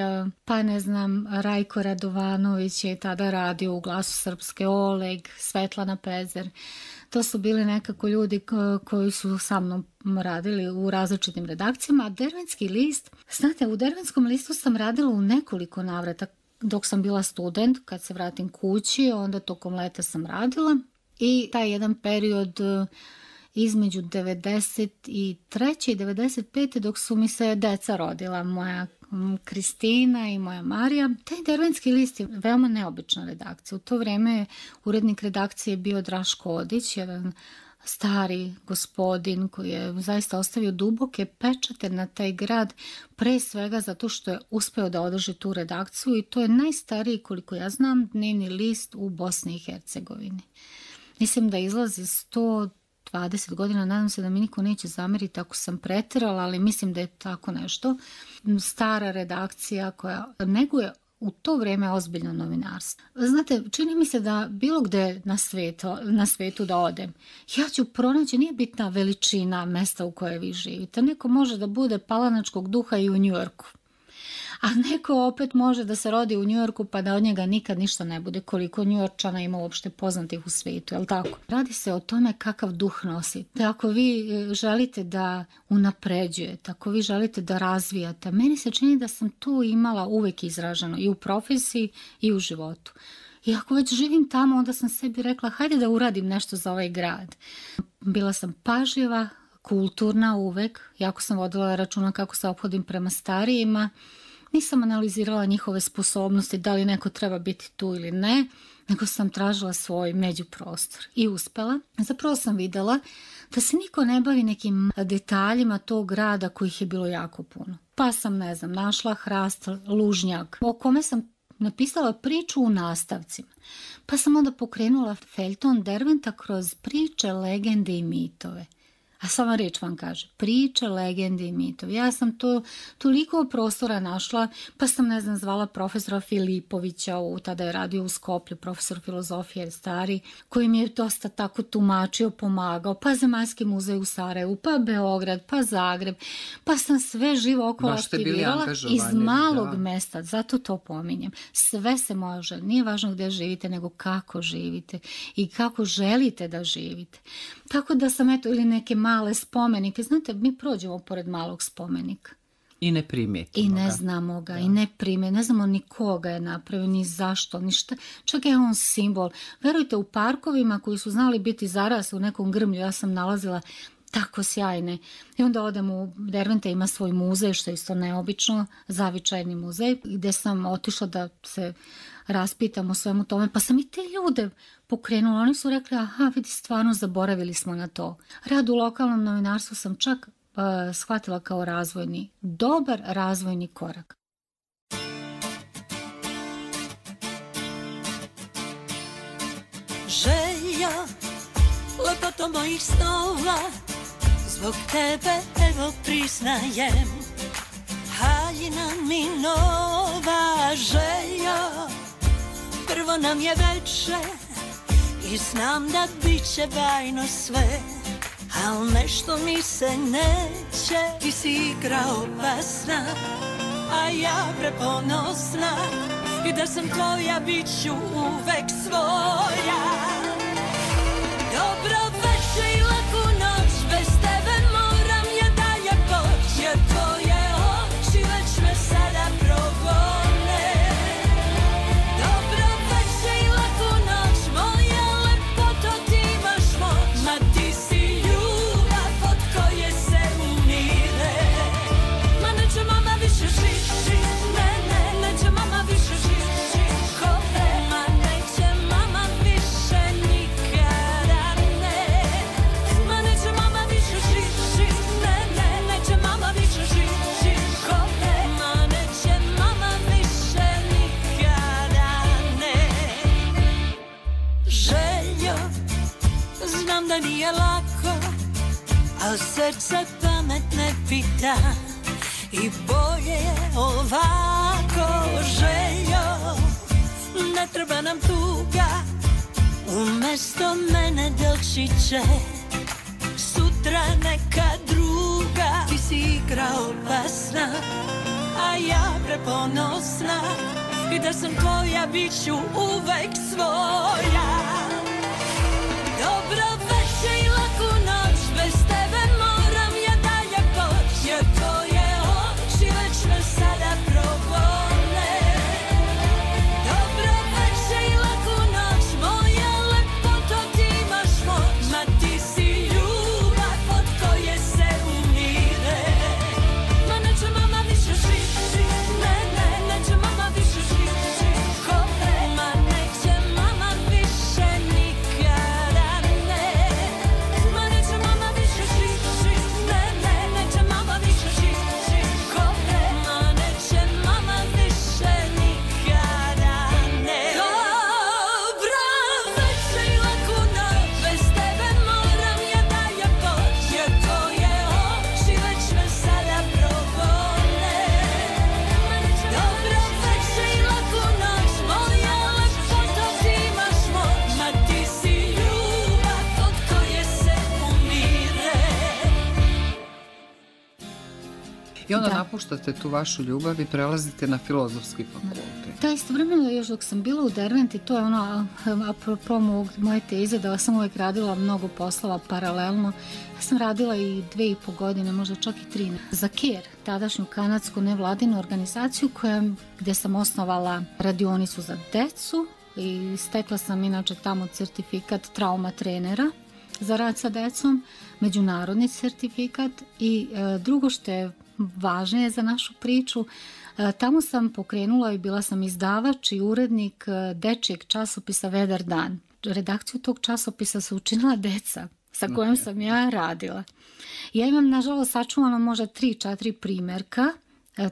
pa ne znam, Rajko Radovanović je tada radio u Glasu Srpske, Oleg, Svetlana Pezer. To su bili nekako ljudi koji su sa mnom radili u različitim redakcijama. A Derventski list, znate, u Derventskom listu sam radila u nekoliko navrata dok sam bila student, kad se vratim kući, onda tokom leta sam radila. I taj jedan period između devedeset treće i devedeset pete dok su mi se deca rodila, moja Kristina i moja Marija. Taj Derventski list je veoma neobična redakcija. U to vrijeme urednik redakcije bio Draško Odić, jedan stari gospodin koji je zaista ostavio duboke pečate na taj grad, pre svega zato što je uspeo da održi tu redakciju i to je najstariji, koliko ja znam, dnevni list u Bosni i Hercegovini. Mislim da izlazi sto dvadeset godina, nadam se da mi niko neće zameriti ako sam preterala, ali mislim da je tako nešto. Stara redakcija koja neguje u to vrijeme ozbiljno novinarstvo. Znate, čini mi se da bilo gde na svetu, na svetu da odem, ja ću pronaći, nije bitna veličina mesta u kojoj vi živite. Neko može da bude palanačkog duha i u Njujorku. A neko opet može da se rodi u Njujorku pa da od njega nikad ništa ne bude, koliko Njujorčana ima uopšte poznatih u svijetu, je li tako? Radi se o tome kakav duh nosite. Ako vi želite da unapređujete, ako vi želite da razvijate, meni se čini da sam tu imala uvijek izraženo i u profesiji i u životu. I ako već živim tamo, onda sam sebi rekla, hajde da uradim nešto za ovaj grad. Bila sam pažljiva, kulturna uvek, jako sam vodila računa kako se ophodim prema starijima, nisam analizirala njihove sposobnosti, da li neko treba biti tu ili ne, nego sam tražila svoj međuprostor i uspela. Zapravo sam videla da se niko ne bavi nekim detaljima tog grada kojih je bilo jako puno. Pa sam, ne znam, našla hrast, lužnjak, o kome sam napisala priču u nastavcima. Pa sam onda pokrenula feljton Derventa kroz priče, legende i mitove. A sama reč vam kaže, priče, legende i mitovi. Ja sam to toliko prostora našla, pa sam, ne znam, zvala profesora Filipovića, u, tada je radio u Skoplju, profesor filozofije stari, koji mi je dosta tako tumačio, pomagao, pa Zemaljski muzej u Sarajevu, pa Beograd, pa Zagreb, pa sam sve živo okolo aktivirala iz malog da. mesta, zato to pominjem. Sve se može, nije važno gdje živite, nego kako živite i kako želite da živite. Tako da sam, eto, ili neke male spomenike. Znate, mi prođemo pored malog spomenika. I ne primetimo I ne ga. znamo ga, da. i ne prime, ne znamo ni koga je napravio, ni zašto, ni šta. Čak je on simbol. Verujte, u parkovima koji su znali biti zaras u nekom grmlju, ja sam nalazila tako sjajne. I onda odem u Derventa, ima svoj muzej, što je isto neobično, zavičajni muzej, gdje sam otišla da se raspitam o svemu tome, pa sam i te ljude pokrenula. Oni su rekli, aha, vidi, stvarno zaboravili smo na to. Rad u lokalnom novinarstvu sam čak uh, shvatila kao razvojni, dobar razvojni korak. Želja, lepoto mojih snova, zbog tebe evo priznajem, haljina mi nova želja. Prvo nam je veče i znam da bit će bajno sve, al nešto mi se neće. Ti si igra opasna, a ja preponosna, i da sam tvoja bit ću uvek svoja. Dobro večer i laku noć, bez tebe moram ja dalje poć, jer tvoje oči već me sada progone. Dobro večer i laku noć, moja lepoto, ti imaš moć, ma ti si ljubav od koje se umire. Ma neće mama više žit, žit, ne, ne, neće mama više žit, žit, kome, ma neće mama više nikada ne. Ma neće mama više žit, žit, ne, ne, neće mama više žit, žit, kome, ma neće mama više nikada ne. Željo, znam da nije lako, al srce pamet ne pita, i bolje je ovako. Željo, ne treba nam tuga, umesto mene doći će sutra neka druga. Ti si igra opasna, a ja preponosna, i da sam tvoja bit ću uvek svoja. Dobro večer i laku noć, bez tebe moram ja dalje poć, jer tvoje oči već me sada progone. Dobro večer i laku noć, moja lepoto, ti imaš moć, ma ti si ljubav od koje se umire. Ma neće mama više žit, žit, ne, ne, neće mama više žit, žit, kome, ma neće mama više I onda Da. napuštate tu vašu ljubav i prelazite na filozofski fakultet. Da, istovremeno još dok sam bila u Derventi, to je ono, apropo moje teze, da sam uvijek radila mnogo poslova paralelno. Ja sam radila i dve i po godine, možda čak i tri, za CARE, tadašnju kanadsku nevladinu organizaciju koja, gdje sam osnovala radionicu za decu i stekla sam inače tamo certifikat trauma trenera za rad sa decom, međunarodni certifikat i e, drugo što je važnije za našu priču, e, tamo sam pokrenula i bila sam izdavač i urednik e, dečijeg časopisa Vedar dan. Redakciju tog časopisa su učinila deca sa kojom sam ja radila. Ja imam, nažalost, sačuvano možda tri, četiri primjerka,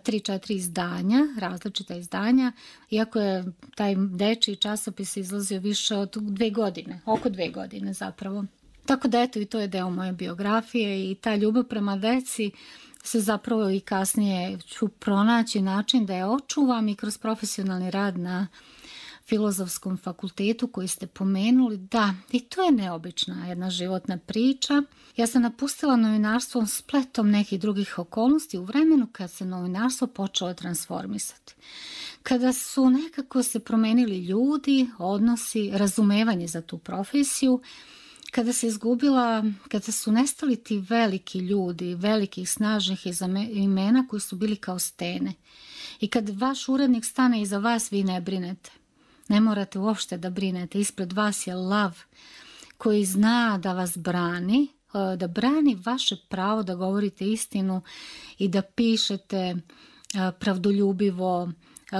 tri, četiri izdanja, različita izdanja, iako je taj dečiji časopis izlazio više od dve godine, oko dve godine zapravo. Tako da eto, i to je deo moje biografije i ta ljubav prema deci se zapravo i kasnije ću pronaći način da je očuvam i kroz profesionalni rad na Filozofskom fakultetu koji ste pomenuli. Da, i to je neobična jedna životna priča. Ja sam napustila novinarstvo spletom nekih drugih okolnosti u vremenu kad se novinarstvo počelo transformisati. Kada su nekako se promenili ljudi, odnosi, razumevanje za tu profesiju, kada se izgubila, kada su nestali ti veliki ljudi, velikih snažnih imena koji su bili kao stene. I kad vaš urednik stane iza vas, vi ne brinete. Ne morate uopšte da brinete. Ispred vas je lav koji zna da vas brani, da brani vaše pravo da govorite istinu i da pišete pravdoljubivo,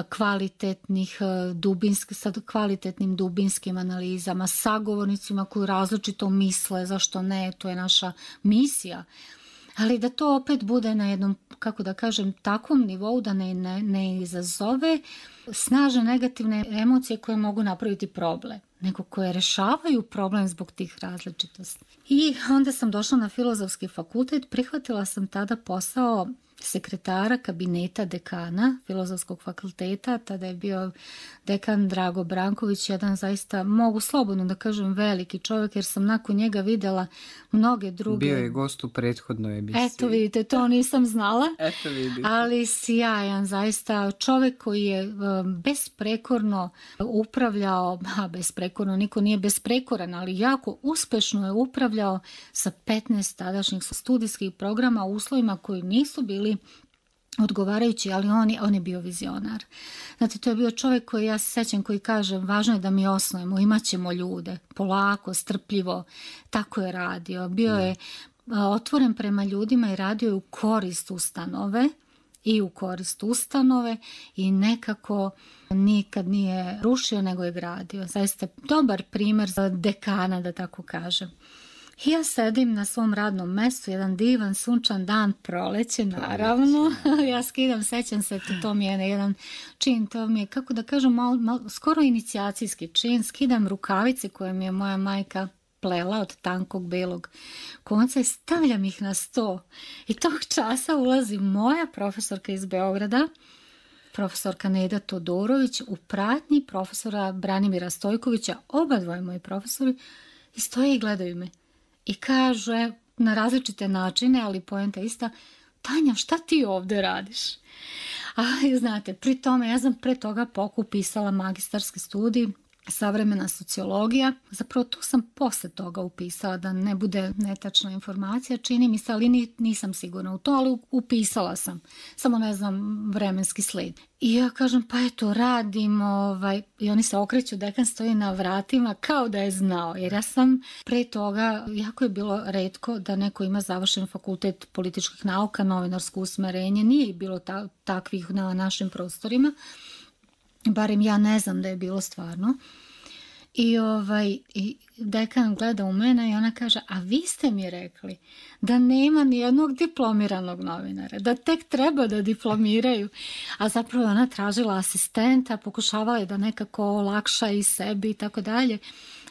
kvalitetnih, dubinski, sa kvalitetnim dubinskim analizama, sagovornicima koji različito misle, zašto ne, to je naša misija. Ali da to opet bude na jednom, kako da kažem, takvom nivou da ne, ne, ne izazove snažne negativne emocije koje mogu napraviti problem, nego koje rešavaju problem zbog tih različitosti. I onda sam došla na Filozofski fakultet, prihvatila sam tada posao sekretara kabineta dekana Filozofskog fakulteta, tada je bio dekan Drago Branković, jedan zaista, mogu slobodno da kažem, veliki čovjek, jer sam nakon njega vidjela mnoge druge. Bio je gost u prethodnoj emisiji. Eto vidite, to nisam znala. Eto vidite. Ali sjajan, zaista čovjek koji je besprekorno upravljao, a besprekorno, niko nije besprekoran, ali jako uspešno je upravljao sa petnaest tadašnjih studijskih programa u uslovima koji nisu bili odgovarajući, ali on je, on je bio vizionar. Znate, to je bio čovjek koji, ja se sećam, koji kaže, važno je da mi osnujemo, imat ćemo ljude, polako, strpljivo, tako je radio. Bio je otvoren prema ljudima i radio je u korist ustanove i u korist ustanove i nekako nikad nije rušio, nego je gradio. Zaista dobar primjer za dekana, da tako kažem. I ja sedim na svom radnom mestu, jedan divan sunčan dan, proleće, naravno. Ja skidam, sećam se, to, to mi je jedan čin, to mi je, kako da kažem, malo, malo, skoro inicijacijski čin. Skidam rukavice koje mi je moja majka plela od tankog belog konca i stavljam ih na sto. I tog časa ulazi moja profesorka iz Beograda, profesorka Neda Todorović, u pratnji profesora Branimira Stojkovića, oba dvoje moji profesori, i stoje i gledaju me. I kaže na različite načine, ali poenta ista, Tanja, šta ti ovdje radiš? A znate, pri tome ja sam pre toga pokupisala magistarski studij, savremena sociologija. Zapravo tu sam posle toga upisala, da ne bude netačna informacija, čini mi se, ali nisam sigurna u to, ali upisala sam. Samo ne znam vremenski sled. I ja kažem, pa eto, radim, ovaj, i oni se okreću, dekan stoji na vratima kao da je znao, jer ja sam pre toga, jako je bilo retko da neko ima završen fakultet političkih nauka, novinarsko usmerenje, nije bilo ta, takvih na našim prostorima, barem ja ne znam da je bilo stvarno. I, ovaj, i dekan gleda u mene i ona kaže, a vi ste mi rekli da nema nijednog diplomiranog novinara, da tek treba da diplomiraju. A zapravo ona tražila asistenta, pokušavala je da nekako olakša i sebi i tako dalje.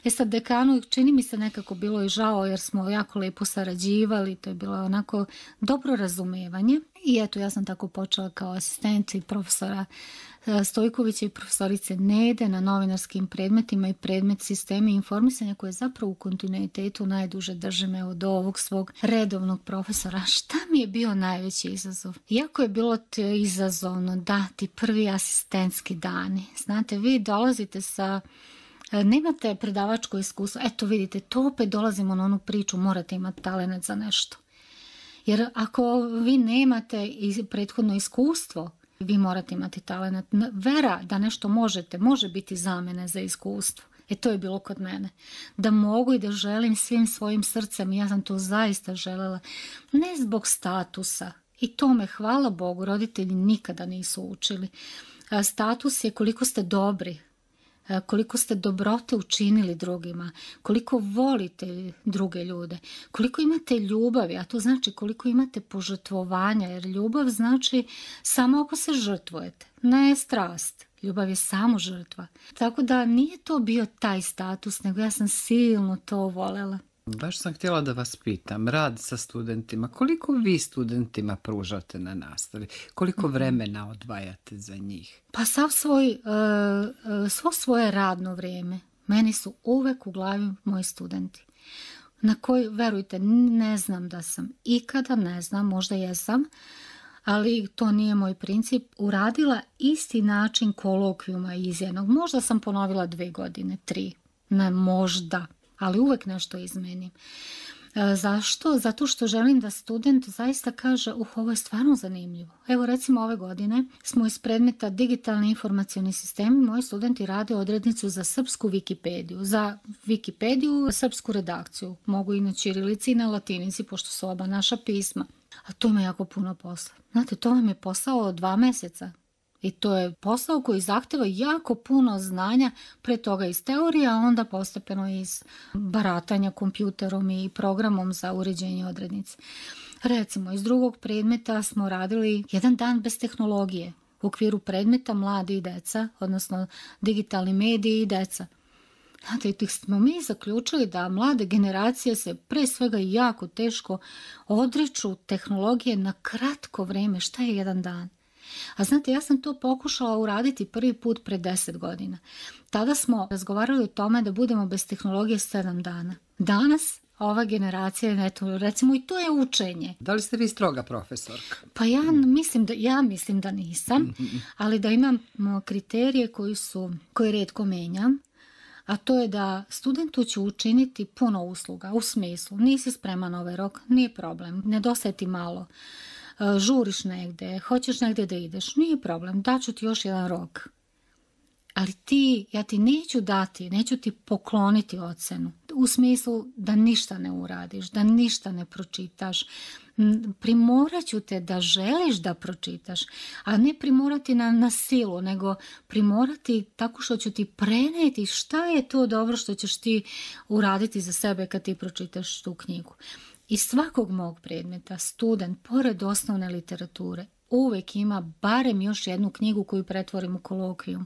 E sad dekanu čini mi se nekako bilo i žao jer smo jako lepo sarađivali, to je bilo onako dobro razumevanje. I eto, ja sam tako počela kao asistent i profesora Stojkovića i profesorice Nede na novinarskim predmetima i predmet sistemi informisanja koje zapravo u kontinuitetu najduže držim evo do ovog svog redovnog profesora. Šta mi je bio najveći izazov? Iako je bilo izazovno dati prvi asistentski dani. Znate, vi dolazite sa nemate predavačko iskustvo. Eto vidite, to opet dolazimo na onu priču, morate imati talenat za nešto. Jer ako vi nemate prethodno iskustvo, vi morate imati talenat. Vera da nešto možete, može biti zamene za iskustvo. E to je bilo kod mene. Da mogu i da želim svim svojim srcem, ja sam to zaista želela, ne zbog statusa. I to me, hvala Bogu, roditelji nikada nisu učili. Status je koliko ste dobri, koliko ste dobrote učinili drugima, koliko volite druge ljude, koliko imate ljubavi, a to znači koliko imate požrtvovanja, jer ljubav znači samo ako se žrtvujete, ne strast. Ljubav je samo žrtva. Tako da nije to bio taj status, nego ja sam silno to volela. Baš sam htjela da vas pitam, rad sa studentima, koliko vi studentima pružate na nastavi? Koliko vremena odvajate za njih? Pa sav svoj, uh, svo svoje radno vrijeme, meni su uvek u glavi moji studenti. Na koji, verujte, ne znam da sam ikada, ne znam, možda jesam, ali to nije moj princip, uradila isti način kolokvijuma iz jednog. Možda sam ponovila dve godine, tri, ne možda. Ali uvek nešto izmenim. E, zašto? Zato što želim da student zaista kaže, uh, ovo je stvarno zanimljivo. Evo recimo ove godine smo iz predmeta digitalni informacioni sistemi, moji studenti rade odrednicu za srpsku Wikipediju, za Wikipediju, srpsku redakciju. Mogu i na ćirilici i na latinici, pošto su oba naša pisma. A to ima jako puno posla. Znate, to vam je posao od dva meseca. I to je posao koji zahteva jako puno znanja, pre toga iz teorije, a onda postepeno iz baratanja kompjuterom i programom za uređenje odrednice. Recimo, iz drugog predmeta smo radili jedan dan bez tehnologije u okviru predmeta mladi i deca, odnosno digitalni mediji i deca. Znate, tih smo mi zaključili da mlade generacije se pre svega jako teško odriču tehnologije na kratko vreme. Šta je jedan dan? A znate, ja sam to pokušala uraditi prvi put pre deset godina. Tada smo razgovarali o tome da budemo bez tehnologije sedam dana. Danas ova generacija, eto, recimo i to je učenje. Da li ste vi stroga profesorka? Pa ja mislim da, ja mislim da nisam, ali da imam kriterije koji su, koje retko menjam. A to je da studentu ću učiniti puno usluga, u smislu, nisi spreman na ovaj rok, nije problem, nedostaje ti malo. Žuriš negde, hoćeš negde da ideš, nije problem, daću ti još jedan rok. Ali ti, ja ti neću dati, neću ti pokloniti ocenu. U smislu da ništa ne uradiš, da ništa ne pročitaš. Primorat ću te da želiš da pročitaš, a ne primorati na, na silu, nego primorati tako što ću ti preneti šta je to dobro što ćeš ti uraditi za sebe kad ti pročitaš tu knjigu. Iz svakog mog predmeta student, pored osnovne literature, uvek ima barem još jednu knjigu koju pretvorim u kolokvijum.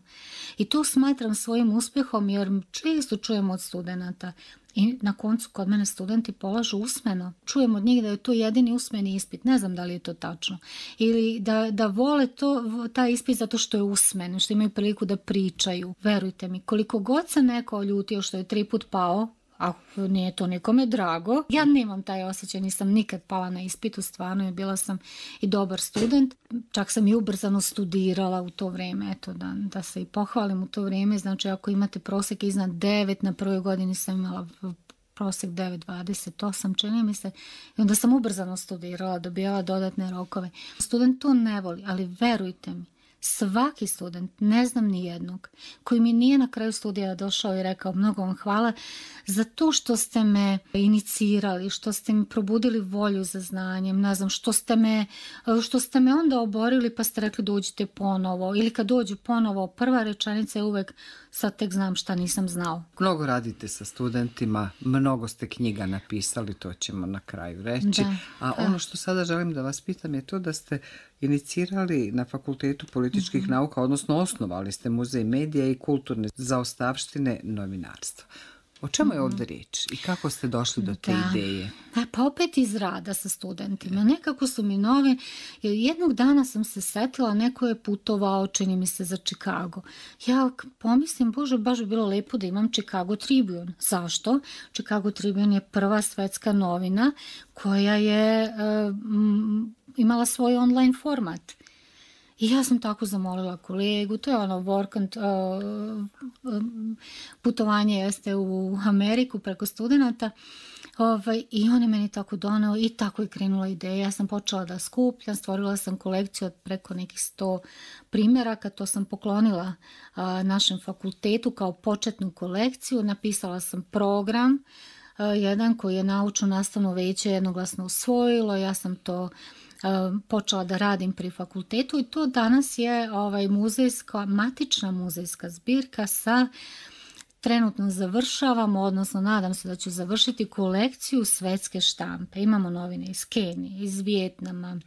I to smatram svojim uspjehom jer često čujem od studenata i na koncu kod mene studenti polažu usmeno. Čujem od njih da je to jedini usmeni ispit, ne znam da li je to tačno. Ili da, da vole to, taj ispit zato što je usmen, što imaju priliku da pričaju. Verujte mi, koliko god se neko ljutio što je tri put pao, a nije to nikome drago. Ja nemam taj osjećaj, nisam nikad pala na ispitu, stvarno, i bila sam i dobar student. Čak sam i ubrzano studirala u to vrijeme, eto, da, da se i pohvalim u to vrijeme. Znači, ako imate prosjek iznad devet, na prvoj godini sam imala prosjek devet zarez dvadeset osam, čini mi se, i onda sam ubrzano studirala, dobijala dodatne rokove. Student to ne voli, ali verujte mi, svaki student, ne znam ni jednog, koji mi nije na kraju studija došao i rekao mnogo vam hvala za to što ste me inicirali, što ste mi probudili volju za znanjem, ne znam, što ste me, što ste me onda oborili pa ste rekli dođite ponovo, ili kad dođu ponovo, prva rečenica je uvek sad tek znam šta nisam znao. Mnogo radite sa studentima, mnogo ste knjiga napisali, to ćemo na kraju reći. Da, a da. Ono što sada želim da vas pitam je to da ste inicirali na Fakultetu političkih mm-hmm. nauka, odnosno osnovali ste Muzej medija i kulturne zaostavštine novinarstva. O čemu je ovdje riječ i kako ste došli do te Da. ideje? A, pa opet iz rada sa studentima. Nekako su mi nove, jer jednog dana sam se setila, neko je putovao, čini mi se, za Chicago. Ja k- pomislim, bože, baš bi bilo lepo da imam Chicago Tribune. Zašto? Chicago Tribune je prva svetska novina koja je e, m, imala svoj online format. I ja sam tako zamolila kolegu, to je ono work and, uh, um, putovanje jeste u Ameriku preko studenata, ovaj, i on je meni tako doneo i tako je krenula ideja. Ja sam počela da skupljam, stvorila sam kolekciju od preko nekih sto primjeraka, to sam poklonila uh, našem fakultetu kao početnu kolekciju, napisala sam program, uh, jedan koji je naučno nastavno veće jednoglasno usvojilo, ja sam to Uh, počela da radim pri fakultetu i to danas je ovaj muzejska, matična muzejska zbirka sa, trenutno završavamo, odnosno nadam se da ću završiti kolekciju svetske štampe. Imamo novine iz Kenije, iz Vijetnama,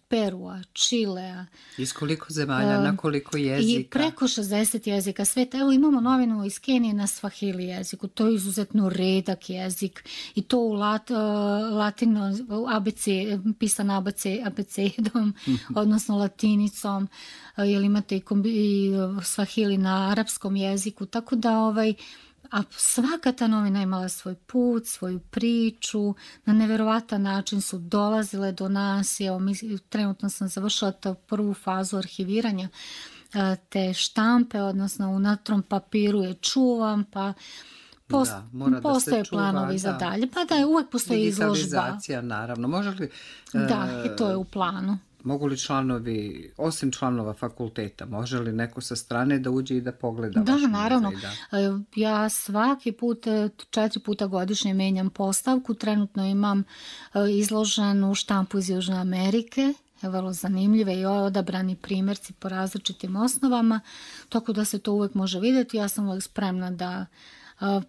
Perua, Čilea. Iz koliko zemalja, Um, na koliko jezika? I preko šezdeset jezika sveta. Evo imamo novinu iz Kenije na svahili jeziku. To je izuzetno redak jezik i to u lat, uh, latino, u A B C, pisan A B C, abecedom, odnosno latinicom, uh, jer imate i, kombi, i uh, svahili na arapskom jeziku. Tako da ovaj, a svaka ta novina je imala svoj put, svoju priču, na neverovatan način su dolazile do nas. Evo, mi, trenutno sam završila tu prvu fazu arhiviranja a, te štampe, odnosno u natrom papiru je čuvam, pa post, Da, mora da se postoje čuva, planovi za da. dalje. Pa da, uvek postoji izložba. Digitalizacija, naravno. Može li, Da, e, i to je u planu. mogu li članovi, osim članova fakulteta, može li neko sa strane da uđe i da pogleda Da, vaš naravno. muzej? Da. E, Ja svaki put, e, četiri puta godišnje menjam postavku. Trenutno imam e, izloženu štampu iz Južne Amerike, je vrlo zanimljive i odabrani primjerci po različitim osnovama, tako da se to uvek može vidjeti. Ja sam uvek spremna da e,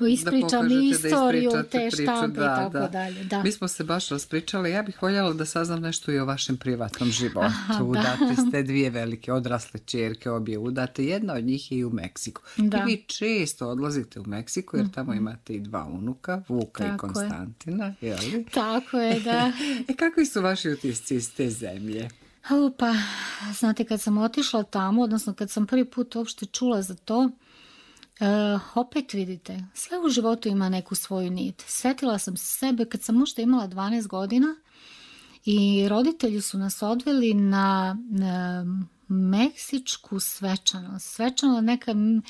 ispričam pokažete, da istoriju ispričate te priču, štampe da, i tako da. dalje. Da. Mi smo se baš raspričali, ja bih voljela da saznam nešto i o vašem privatnom životu. Aha, da. Udate ste dvije velike odrasle ćerke, obje udate, jedna od njih je i u Meksiku. Da. I vi često odlazite u Meksiku jer tamo imate i dva unuka, Vuka Tako i je. Konstantina, je li? Tako je, da. E, kakvi su vaši utisci iz te zemlje? O, pa, znate, kad sam otišla tamo, odnosno kad sam prvi put uopšte čula za to, e, opet vidite, sve u životu ima neku svoju nit. Sjetila sam se sebe kad sam možda imala dvanaest godina i roditelji su nas odveli na, na meksičku svečanost. Svečano neka m, e,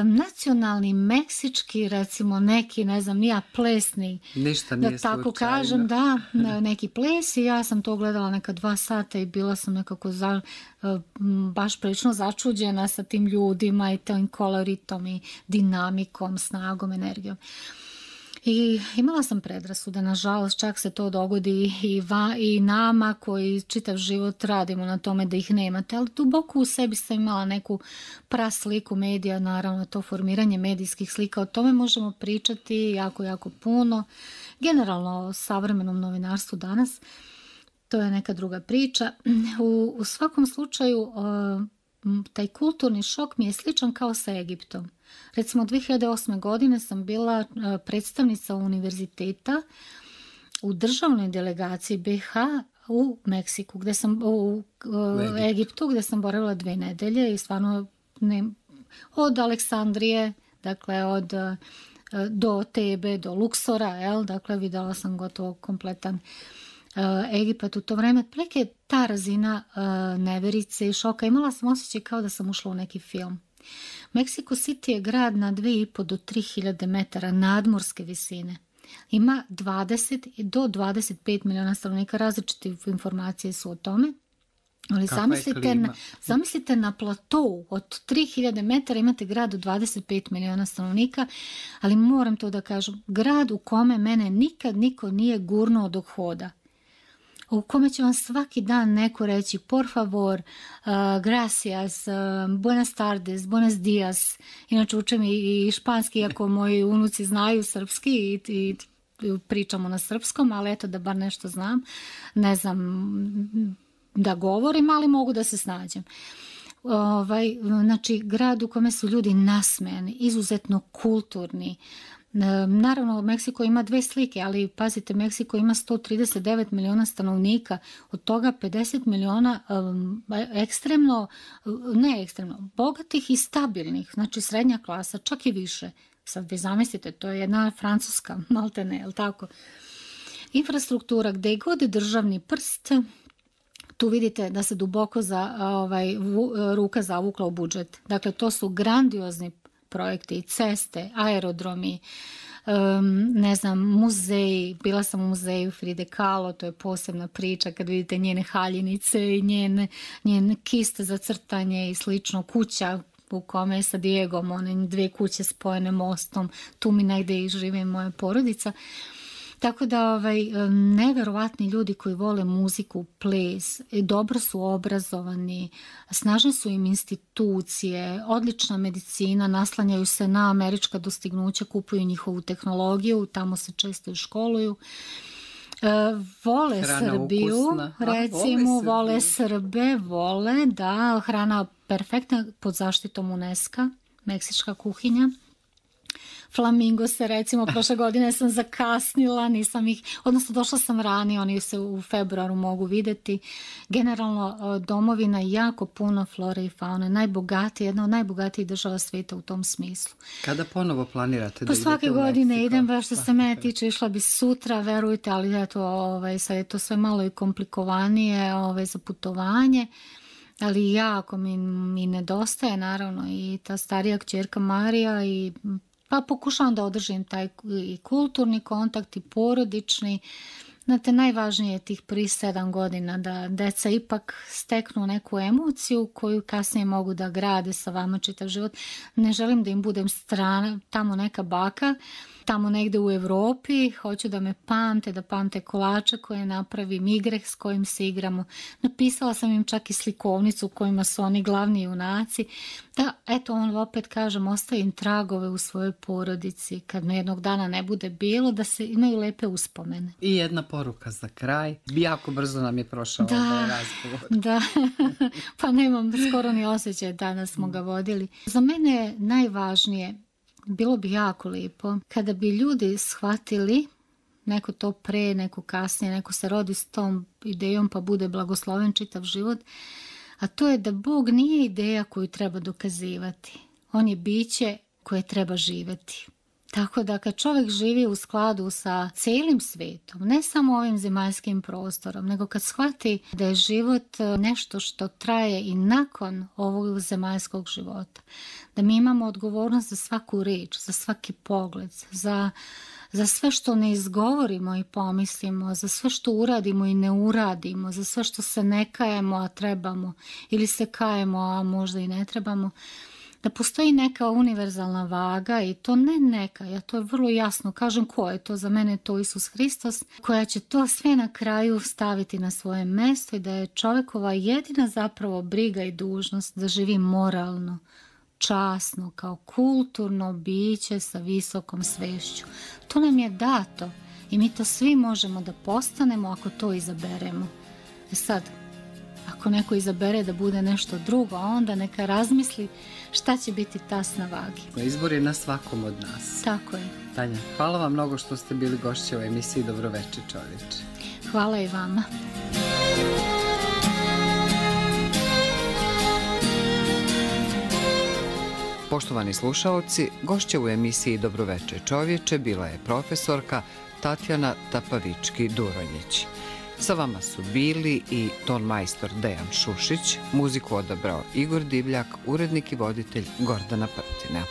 nacionalni meksički, recimo neki, ne znam, nija plesni, Ništa nije da tako slučajno. kažem, da, na neki ples i ja sam to gledala neka dva sata i bila sam nekako za, m, baš prilično začuđena sa tim ljudima i tim koloritom i dinamikom, snagom, energijom. I imala sam predrasude, nažalost, čak se to dogodi i, va, i nama koji čitav život radimo na tome da ih nemate, ali duboko u sebi sam imala neku prasliku medija, naravno to formiranje medijskih slika, o tome možemo pričati jako, jako puno. Generalno o savremenom novinarstvu danas, to je neka druga priča. U, u svakom slučaju, uh, taj kulturni šok mi je sličan kao sa Egiptom. Recimo, dvije hiljade osme. godine sam bila predstavnica univerziteta u državnoj delegaciji B H u Meksiku, gde sam, u, u Egiptu, gde sam boravila dve nedelje i stvarno ne, od Aleksandrije, dakle od do Tebe, do Luksora, jel? Dakle videla sam gotovo kompletan Uh, Egipat u to vreme. Otprilike ta razina uh, neverice i šoka. Imala sam osjećaj kao da sam ušla u neki film. Mexico City je grad na dve i po do tri hiljade metara nadmorske visine. Ima dvadeset do dvadeset pet miliona stanovnika, različite informacije su o tome. Ali zamislite na, zamislite na platou od tri hiljade metara imate grad od dvadeset pet miliona stanovnika, ali moram to da kažem, grad u kome mene nikad niko nije gurnuo dok hoda. U kome će vam svaki dan neko reći por favor, uh, gracias, uh, buenas tardes, buenos dias. Inače učem i, i španski, iako moji unuci znaju srpski i, i pričamo na srpskom, ali eto da bar nešto znam. Ne znam da govorim, ali mogu da se snađem. Ovaj, znači, grad u kome su ljudi nasmejani, izuzetno kulturni. Naravno, Meksiko ima dve slike, ali pazite, Meksiko ima sto trideset devet miliona stanovnika, od toga pedeset miliona um, ekstremno, ne ekstremno, bogatih i stabilnih, znači srednja klasa, čak i više. Sad vi zamislite, to je jedna Francuska, maltene, je li tako? Infrastruktura, gde god je državni prst, tu vidite da se duboko za, ovaj, vu, ruka zavukla u budžet. Dakle, to su grandiozni projekti, ceste, aerodromi, um, ne znam, muzeji. Bila sam u muzeju Fride Kahlo, to je posebna priča kad vidite njene haljinice i njene, njene kiste za crtanje i slično, kuća u kome je sa Diegom, one dve kuće spojene mostom, tu mi negde i živi moja porodica. Tako da ovaj, neverovatni ljudi koji vole muziku, ples, dobro su obrazovani, snažne su im institucije, odlična medicina, naslanjaju se na američka dostignuća, kupuju njihovu tehnologiju, tamo se često i školuju. E, vole hrana Srbiju, ukusna. Recimo, vole, vole Srbe, vole, da, hrana perfektna pod zaštitom UNESCO, meksička kuhinja. Flamingo se, recimo, prošle godine sam zakasnila, nisam ih, odnosno došla sam ranije, oni se u februaru mogu videti. Generalno, domovina jako puno flore i faune, najbogatija, jedna od najbogatijih država svijeta u tom smislu. Kada ponovo planirate da pa idete u Meksiko? Svake godine idem, baš što se mene tiče, išla bi sutra, verujte, ali eto, ovaj, sad je to sve malo i komplikovanije ovaj, za putovanje. Ali jako mi, mi nedostaje, naravno, i ta starija kćerka Marija i pa pokušavam da održim taj i kulturni kontakt i porodični. Znate, najvažnije je tih prvih sedam godina da deca ipak steknu neku emociju koju kasnije mogu da grade sa vama čitav život. Ne želim da im budem strana, tamo neka baka, tamo negde u Evropi, hoću da me pamte, da pamte kolača koje napravim, igre s kojim se igramo. Napisala sam im čak i slikovnicu u kojima su oni glavni junaci. Da, eto, on opet kažem, ostavim tragove u svojoj porodici, kad me jednog dana ne bude bilo, da se imaju lepe uspomene. I jedna poruka za kraj. Jako brzo nam je prošao da, ovaj razgovor. Da, pa nemam skoro ni osjećaj, danas smo ga vodili. Za mene je najvažnije, bilo bi jako lijepo kada bi ljudi shvatili, neko to pre, neko kasnije, neko se rodi s tom idejom pa bude blagosloven čitav život, a to je da Bog nije ideja koju treba dokazivati. On je biće koje treba živjeti. Tako da kad čovjek živi u skladu sa cijelim svijetom, ne samo ovim zemaljskim prostorom, nego kad shvati da je život nešto što traje i nakon ovog zemaljskog života, da mi imamo odgovornost za svaku riječ, za svaki pogled, za, za sve što ne izgovorimo i pomislimo, za sve što uradimo i ne uradimo, za sve što se ne kajemo, a trebamo, ili se kajemo, a možda i ne trebamo, da postoji neka univerzalna vaga i to ne neka, ja to vrlo jasno kažem ko je to, za mene je to Isus Hristos, koja će to sve na kraju staviti na svoje mjesto i da je čovjekova jedina zapravo briga i dužnost da živi moralno, časno, kao kulturno biće sa visokom svešću. To nam je dato i mi to svi možemo da postanemo ako to izaberemo. E sad, ako neko izabere da bude nešto drugo, onda neka razmisli šta će biti tas na vagi. Izbor je na svakom od nas. Tako je. Tanja, hvala vam mnogo što ste bili gošće u emisiji Dobroveče čovječe. Hvala i vama. Poštovani slušaoci, gošća u emisiji Dobroveče čovječe bila je profesorka Tatjana Tapavički-Duronjić. Sa vama su bili i ton majstor Dejan Šušić, muziku odabrao Igor Divljak, urednik i voditelj Gordana Prtina.